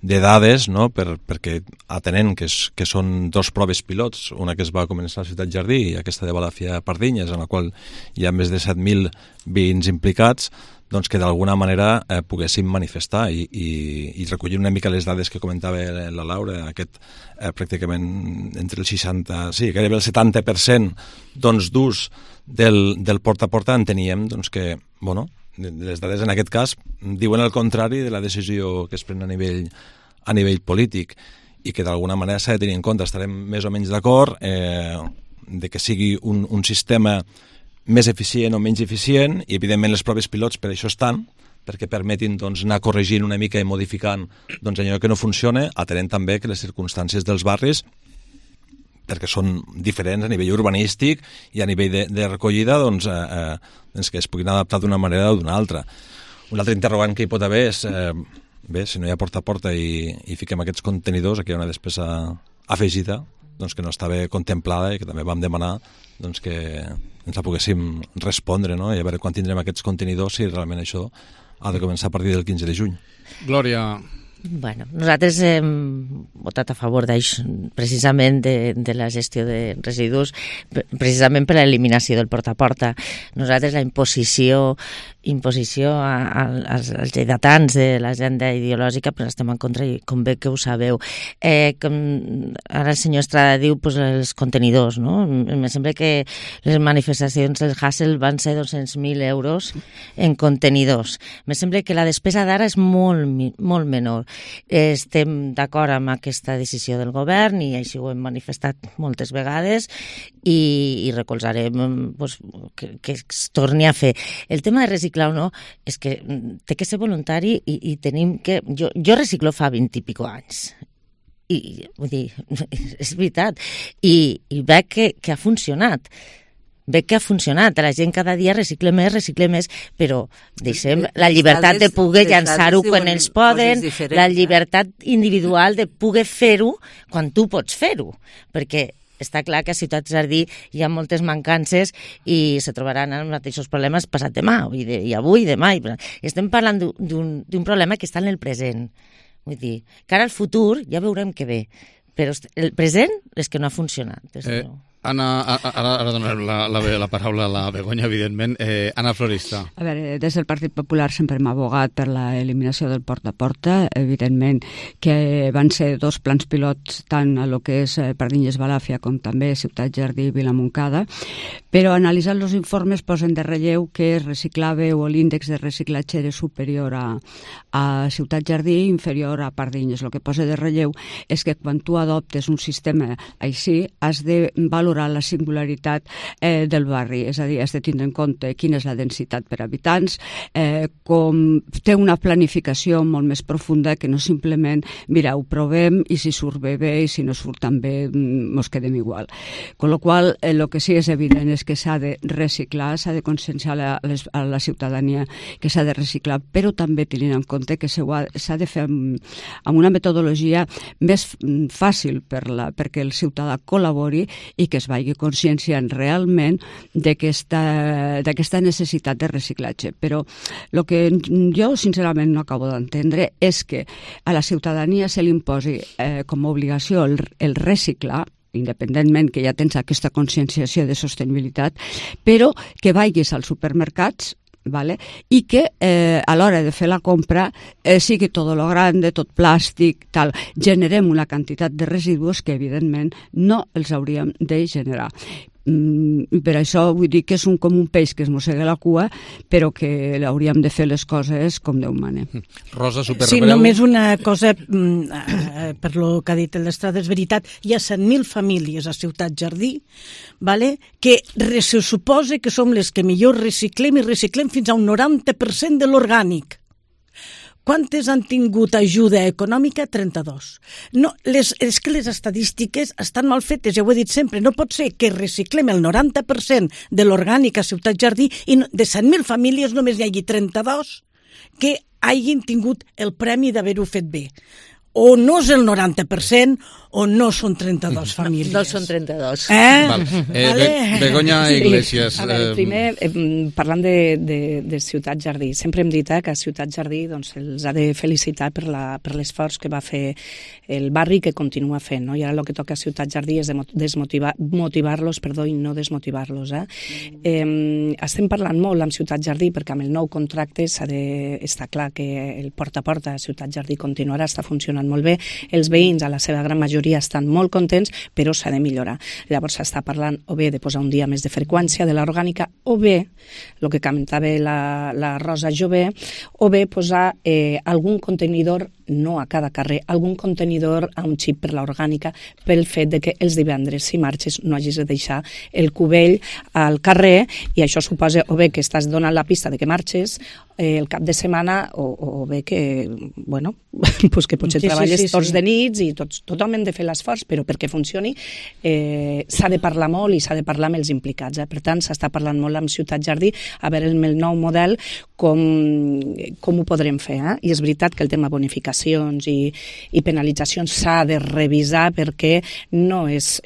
de dades, no? perquè atenent que són dos proves pilots, una que es va començar a Ciutat Jardí i aquesta de Balàfia-Pardinyes, en la qual hi ha més de 7.000 veïns implicats, doncs que d'alguna manera poguéssim manifestar i recollir una mica les dades que comentava la Laura, pràcticament entre el 60, sí, gairebé el 70% d'ús del porta a porta. Enteníem que, les dades en aquest cas diuen el contrari de la decisió que es pren a nivell polític, i que d'alguna manera s'ha de tenir en compte. Estarem més o menys d'acord de que sigui un sistema més eficient o menys eficient, i evidentment les proves pilots per això estan, perquè permetin anar corregint una mica i modificant allò que no funciona, atenent també que les circumstàncies dels barris, perquè són diferents a nivell urbanístic i a nivell de recollida, que es puguin adaptar d'una manera o d'una altra. Un altre interrogant que hi pot haver és, si no hi ha porta a porta i fiquem aquests contenidors, aquí hi ha una despesa afegida que no estava contemplada i que també vam demanar que ens la poguéssim respondre, no? I a veure quan tindrem aquests contenidors, si realment això ha de començar a partir del 15 de juny. Glòria. Bueno, nosaltres hem votat a favor d'això, precisament de la gestió de residus, precisament per l'eliminació del porta a porta. Nosaltres la imposició als lleidatans de l'agenda ideològica, però estem en contra, i com bé que ho sabeu. Com ara el senyor Estrada diu, els contenidors, no? Em sembla que les manifestacions del Hassel van ser 200.000 euros en contenidors. Em sembla que la despesa d'ara és molt menor. Estem d'acord amb aquesta decisió del govern i així ho hem manifestat moltes vegades i recolzarem que es torni a fer. El tema de reciclar o no és que té que ser voluntari i tenim que... Jo reciclo fa 20 i pico anys i vull dir, és veritat, i veig que ha funcionat. Veig que ha funcionat, la gent cada dia recicla més, però deixem la llibertat de poder llançar-ho quan ells poden, la llibertat individual de poder fer-ho quan tu pots fer-ho, perquè està clar que a Ciutat Jardí hi ha moltes mancances i se trobaran els mateixos problemes passat demà, i avui, i demà. Estem parlant d'un problema que està en el present. Vull dir, que ara el futur ja veurem què ve, però el present és que no ha funcionat. Anna, ara donarem la paraula a la Begoña, evidentment. Anna Florista. A veure, des del Partit Popular sempre hem abogat per l'eliminació del porta a porta. Evidentment que van ser dos plans pilots, tant a lo que és Pardinyes-Balàfia com també Ciutat Jardí i Vilamoncada, però analitzant els informes posen de relleu que es reciclava o l'índex de reciclatge era superior a Ciutat Jardí i inferior a Pardinyes. El que posa de relleu és que quan tu adoptes un sistema així has de valorar la singularitat del barri, és a dir, has de tindre en compte quina és la densitat per habitants, com té una planificació molt més profunda que no simplement, mira, ho provem i si surt bé, i si no surt tan bé, ens quedem igual. Con lo qual, el que sí és evident és que s'ha de reciclar, s'ha de conscienciar a la ciutadania que s'ha de reciclar, però també tenint en compte que s'ha de fer amb una metodologia més fàcil perquè el ciutadà col·labori i que es vagi conscienciant realment d'aquesta necessitat de reciclatge. Però el que jo sincerament no acabo d'entendre és que a la ciutadania se li imposi com a obligació el reciclar, independentment que ja tens aquesta conscienciació de sostenibilitat, però que vagis als supermercats, ¿vale? I que a l'hora de fer la compra sigui tot lo grande, tot plàstic, tal. Generem una quantitat de residus que evidentment no els hauríem de generar. I per això vull dir que és com un peix que es mossega la cua, però que hauríem de fer les coses com Déu mana. Rosa, superbreu. Sí, només una cosa, per lo que ha dit l'Estrada, és veritat, hi ha 100.000 famílies a Ciutat Jardí, vale? Que se suposa que som les que millor reciclem i reciclem fins a un 90% de l'orgànic. Quantes han tingut ajuda econòmica? 32. No, és que les estadístiques estan mal fetes, ja ho he dit sempre. No pot ser que reciclem el 90% de l'orgànic a Ciutat Jardí i de 100.000 famílies només hi hagi 32 que hagin tingut el premi d'haver-ho fet bé. O no és el 90% o no són 32 famílies. No són 32. Begoña Iglesias. A veure, primer, parlant de Ciutat Jardí, sempre hem dit que a Ciutat Jardí els ha de felicitar per l'esforç que va fer el barri que continua fent, no? I ara el que toca a Ciutat Jardí és motivar-los i no desmotivar-los. Estem parlant molt amb Ciutat Jardí perquè amb el nou contracte està clar que el porta a porta a Ciutat Jardí continuarà, està funcionant molt bé, els veïns a la seva gran majoria estan molt contents, però s'ha de millorar. Llavors s'està parlant o bé de posar un dia més de freqüència de l'orgànica, o bé, el que comentava la Rosa Jové, o bé posar algun contenidor, no a cada carrer, algun contenidor a un xip per l'orgànica, pel fet de que els divendres, si marxes, no hagis de deixar el cubell al carrer, i això suposa o bé que estàs donant la pista de que marxes el cap de setmana, o bé que, bueno, pues que potser treballes tots de nits i tothom hem de fer l'esforç, però perquè funcioni s'ha de parlar molt i s'ha de parlar amb els implicats. Per tant, s'està parlant molt amb Ciutat Jardí a veure el nou model com ho podrem fer. I és veritat que el tema bonificacions i penalitzacions s'ha de revisar perquè no és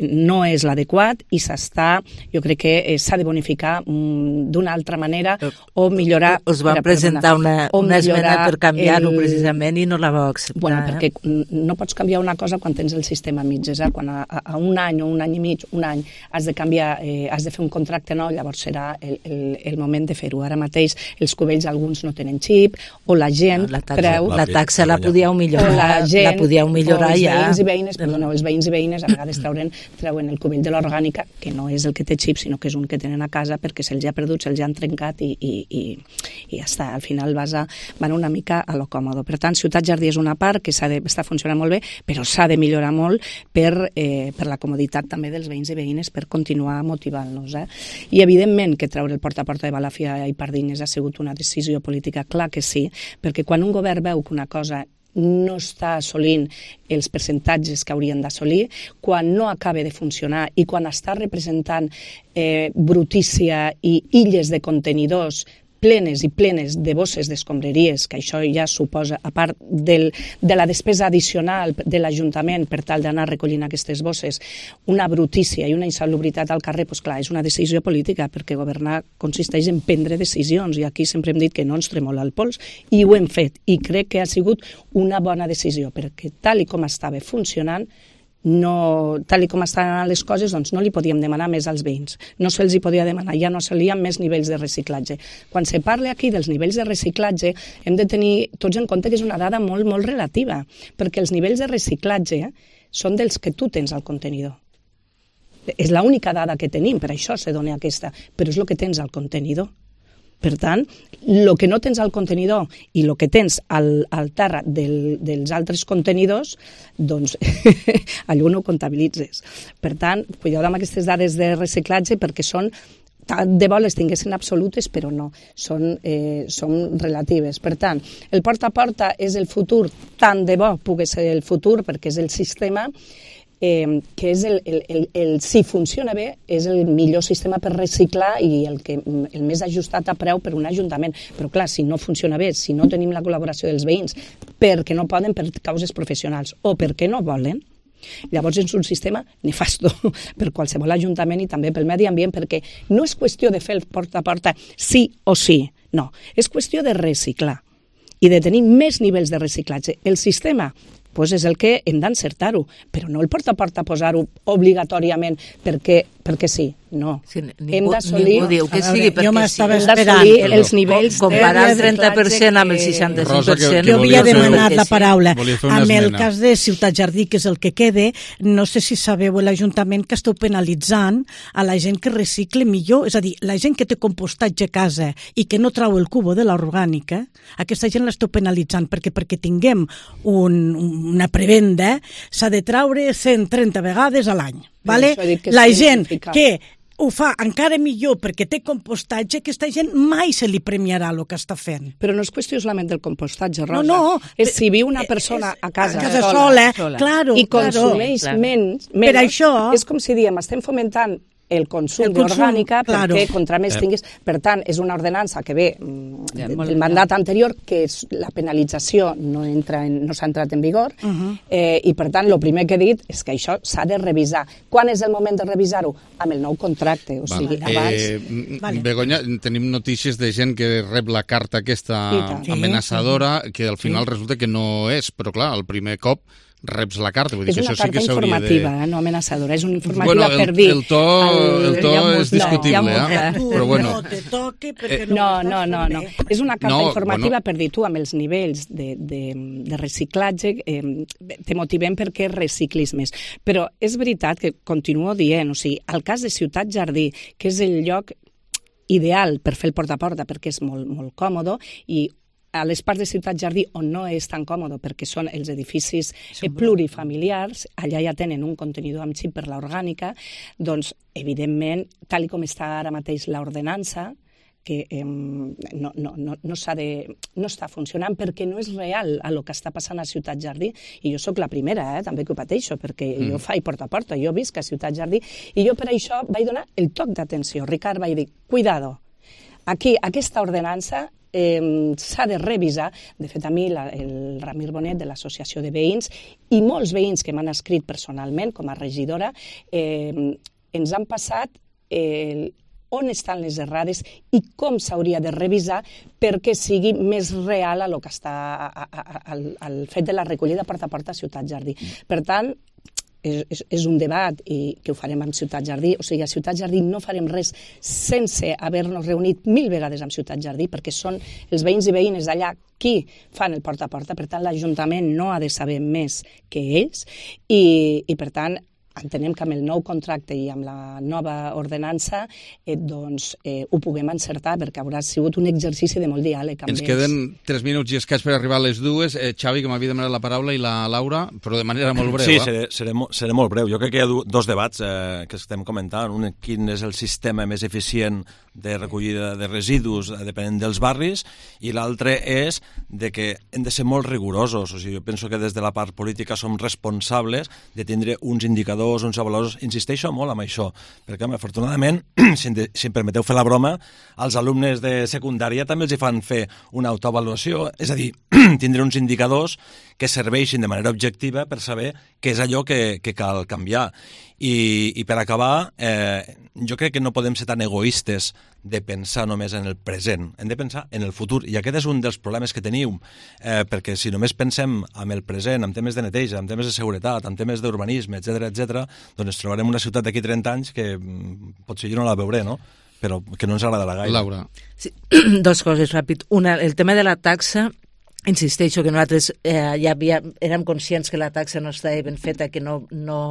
l'adequat i jo crec que s'ha de bonificar d'una altra manera o millorar... Us van presentar una esmena per canviar-ho precisament i no la va acceptar. Bueno, perquè no pots canviar una cosa quan tens el sistema a mitges. Quan a un any o un any i mig, un any, has de canviar, has de fer un contracte nou, llavors serà el moment de fer-ho. Ara mateix els cubells alguns no tenen xip, o la gent creu... La taxa la podíeu millorar, ja. Els veïns i veïnes a vegades treuen el cubell de l'orgànica, que no és el que té xip, sinó que és un que tenen a casa perquè se'ls ha perdut, se'ls ha trencat i ja està. Al final van una mica a lo còmodo. Per tant, Ciutat Jardí és una part que està funcionant molt bé, però s'ha de millorar molt per la comoditat també dels veïns i veïnes, per continuar motivant-nos. I evidentment que treure el porta a porta de Balàfia i Pardines ha sigut una decisió política, clar que sí, perquè quan un govern veu que una cosa no està assolint els percentatges que haurien d'assolir, quan no acaba de funcionar i quan està representant brutícia i illes de contenidors plenes i plenes de bosses d'escombraries, que això ja suposa, a part de la despesa addicional de l'Ajuntament per tal d'anar recollint aquestes bosses, una brutícia i una insalubritat al carrer, doncs clar, és una decisió política, perquè governar consisteix en prendre decisions, i aquí sempre hem dit que no ens tremola el pols, i ho hem fet, i crec que ha sigut una bona decisió, perquè tal i com estava funcionant, tal com estan les coses, doncs no li podíem demanar més als veïns. No se'ls hi podia demanar, ja no s'alien més nivells de reciclatge. Quan se parla aquí dels nivells de reciclatge, hem de tenir tots en compte que és una dada molt, molt relativa, perquè els nivells de reciclatge són dels que tu tens al contenidor. És l'única dada que tenim, per això se dona aquesta, però és el que tens al contenidor. Per tant, el que no tens al contenidor i el que tens al terra dels altres contenidors, doncs allò no ho comptabilitzes. Per tant, cuideu amb aquestes dades de reciclatge perquè són tant de bo les tinguessin absolutes, però no, són relatives. Per tant, el porta a porta és el futur, tant de bo pugui ser el futur, perquè és el sistema que és si funciona bé, és el millor sistema per reciclar i el més ajustat a preu per un ajuntament. Però clar, si no funciona bé, si no tenim la col·laboració dels veïns, perquè no poden per causes professionals o perquè no volen, Llavors és un sistema nefasto per qualsevol ajuntament i també pel medi ambient, perquè no és qüestió de fer el porta a porta sí o sí, no, és qüestió de reciclar i de tenir més nivells de reciclatge. El sistema pues és el que hem d'encertar-ho, però no el porta a porta posar-ho obligatoriament perquè sí, no. Sí, hem d'assolir... Ningú diu que sigui perquè jo m'estava sí. esperant. Els nivells comparar el 30% amb el 65%. Rosa, jo havia demanat la paraula. Amb el esmena. cas de Ciutat Jardí, que és el que quede, no sé si sabeu l'Ajuntament que esteu penalitzant a la gent que recicle millor, és a dir, la gent que té compostatge a casa i que no trau el cubo de l'orgànica, aquesta gent l'esteu penalitzant perquè tinguem una prebenda s'ha de traure 130 vegades a l'any. Vale? La gent que ho fa encara millor perquè té compostatge, aquesta gent mai se li premiarà el que està fent. Però no és qüestió solament del compostatge, Rosa. No. És si viu una persona a casa sola, claro, i consumeix menys. Per això... És com si diem, estem fomentant el consum d'orgànica perquè contra més tinguis... Per tant, és una ordenança que ve del mandat anterior, que és la penalització no s'ha entrat en vigor, i per tant, el primer que he dit és que això s'ha de revisar. Quan és el moment de revisar-ho? Amb el nou contracte, o sigui, abans... Begoña, tenim notícies de gent que rep la carta aquesta amenaçadora, que al final resulta que no és, però clar, el primer cop reps la carta. Vull dir és que una això sí carta que informativa, no amenaçadora, és una informativa per dir... El to és discutible, però bueno... No te toque perquè no. És una carta informativa per dir tu, amb els nivells de reciclatge, te motivem perquè reciclis més. Però és veritat que continuo dient, o sigui, el cas de Ciutat Jardí, que és el lloc ideal per fer el porta a porta, perquè és molt, molt còmode, i a les parts de Ciutat Jardí on no és tan còmode perquè són els edificis plurifamiliars, allà ja tenen un contenidor amb xip per l'orgànica, doncs, evidentment, tal com està ara mateix l'ordenança, que no està funcionant perquè no és real el que està passant a Ciutat Jardí, i jo sóc la primera, també que ho pateixo, perquè jo faig porta a porta, jo visc a Ciutat Jardí, i jo per això vaig donar el toc d'atenció. Ricard vaig dir, cuidado, aquí aquesta ordenança s'ha de revisar. De fet, a mi, el Ramir Bonet de l'Associació de Veïns i molts veïns que m'han escrit personalment com a regidora ens han passat on estan les errades i com s'hauria de revisar perquè sigui més real el que està el fet de la recollida porta a porta a Ciutat Jardí. Per tant, és un debat i que ho farem amb Ciutat Jardí. O sigui, a Ciutat Jardí no farem res sense haver-nos reunit 1000 vegades amb Ciutat Jardí, perquè són els veïns i veïnes d'allà qui fan el porta a porta. Per tant, l'Ajuntament no ha de saber més que ells i per tant, entenem que amb el nou contracte i amb la nova ordenança ho puguem encertar, perquè haurà sigut un exercici de molt diàleg amb ells. Ens queden 3 minuts i escaig per arribar a les 2. Xavi, que m'havia demanat la paraula, i la Laura, però de manera molt breu. Sí, seré molt breu. Jo crec que hi ha dos debats que estem comentant. Un, quin és el sistema més eficient de recollida de residus depenent dels barris, i l'altre és de que hem de ser molt rigorosos. O sigui, jo penso que des de la part política som responsables de tindre uns indicadors, uns avaluadors. Insisteixo molt amb això, perquè afortunadament, si em permeteu fer la broma, als alumnes de secundària també els hi fan fer una autoavaluació, és a dir, tindre uns indicadors que serveixin de manera objectiva per saber què és allò que cal canviar. I per acabar, jo crec que no podem ser tan egoistes de pensar només en el present, hem de pensar en el futur, i aquest és un dels problemes que teniu, perquè si només pensem en el present, en temes de neteja, en temes de seguretat, en temes d'urbanisme, etc., doncs ens trobarem una ciutat d'aquí 30 anys que potser jo no la veuré, no? Però que no ens agradarà gaire. Laura. Sí, 2 coses ràpid. Una, el tema de la taxa, insisteixo que nosaltres érem conscients que la taxa no estava ben feta, que no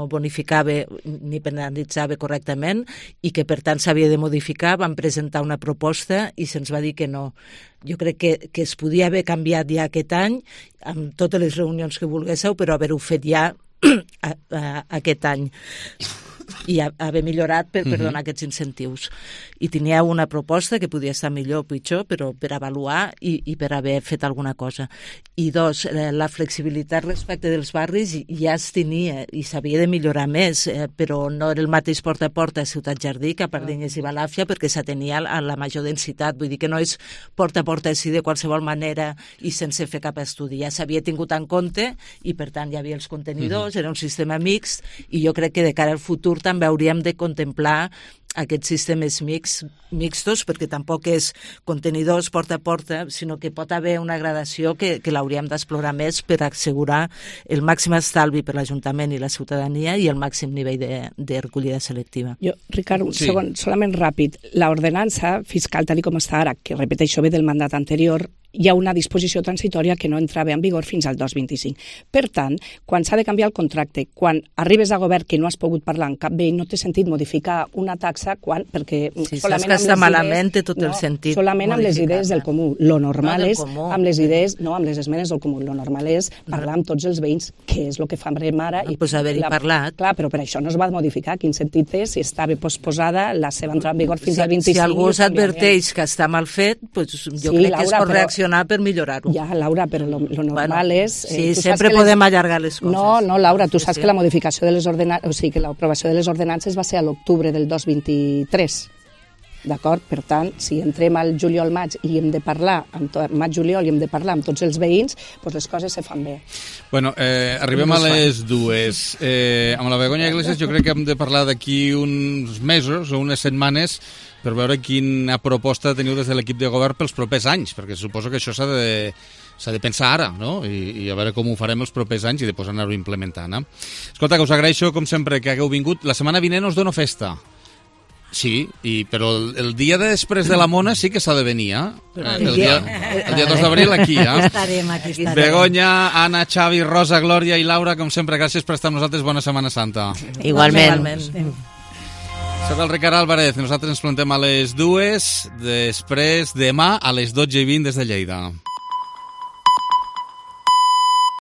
bonificava ni penalitzava correctament i que per tant s'havia de modificar. Vam presentar una proposta i se'ns va dir que no. Jo crec que es podia haver canviat ja aquest any amb totes les reunions que volguéssiu, però haver-ho fet ja aquest any. i haver millorat per donar aquests incentius. I tenia una proposta que podia estar millor o pitjor, però per avaluar i per haver fet alguna cosa. I dos, la flexibilitat respecte dels barris ja es tenia i s'havia de millorar més, però no era el mateix porta a porta a Ciutat Jardí que a Pardines i Balàfia perquè s'atenia a la major densitat. Vull dir que no és porta a porta així de qualsevol manera i sense fer cap estudi. Ja s'havia tingut en compte i per tant hi havia els contenidors, era un sistema mixt i jo crec que de cara al futur també hauríem de contemplar aquests sistemes mixtos, perquè tampoc és contenidors porta a porta, sinó que pot haver una gradació que l'hauríem d'explorar més per assegurar el màxim estalvi per l'Ajuntament i la ciutadania i el màxim nivell de recollida selectiva. Jo, Ricard, un segon, solament ràpid. L'ordenança fiscal, tal com està ara, que repeteixo ve del mandat anterior, hi ha una disposició transitòria que no entrava en vigor fins al 2025. Per tant, quan s'ha de canviar el contracte, quan arribes a govern que no has pogut parlar amb cap bé, no té sentit modificar una taxa perquè solament saps que està malament té tot el sentit. Solament amb les idees del comú. Lo normal és, amb les idees, no amb les esmenes del comú, lo normal és parlar amb tots els veïns, que és el que farem ara. Doncs haver-hi parlat. Clar, però per això no es va modificar. Quin sentit té si estava posposada la seva entrada en vigor fins al 25? Si algú s'adverteix que està mal fet, jo crec que es pot reaccionar per millorar-ho. Ja, Laura, però lo normal és... Sí, sempre podem allargar les coses. No, Laura, tu saps que la modificació de les ordenances, o sigui, que l'aprovació de les ordenances va ser a l'octubre del 2023. D'acord? Per tant, si entrem al juliol-maig i hem de parlar, maig-juliol, i hem de parlar amb tots els veïns, doncs les coses se fan bé. Bueno, arribem a les dues. Amb la Begoña Iglesias jo crec que hem de parlar d'aquí uns mesos o unes setmanes per veure quina proposta teniu des de l'equip de govern pels propers anys, perquè suposo que això s'ha de pensar ara, no? I a veure com ho farem els propers anys i després anar-ho implementant. Escolta, que us agraeixo, com sempre, que hagueu vingut. La setmana vinent us dono festa. Sí, però el dia després de la Mona sí que s'ha de venir, el dia 2 d'abril aquí, Estarem aquí. Begoña, Anna, Xavi, Rosa, Glòria i Laura, com sempre, gràcies per estar amb nosaltres. Bona Setmana Santa. Igualment. Soc el Ricard Álvarez, nosaltres ens plantem a les 2, després demà a les 12:20 des de Lleida.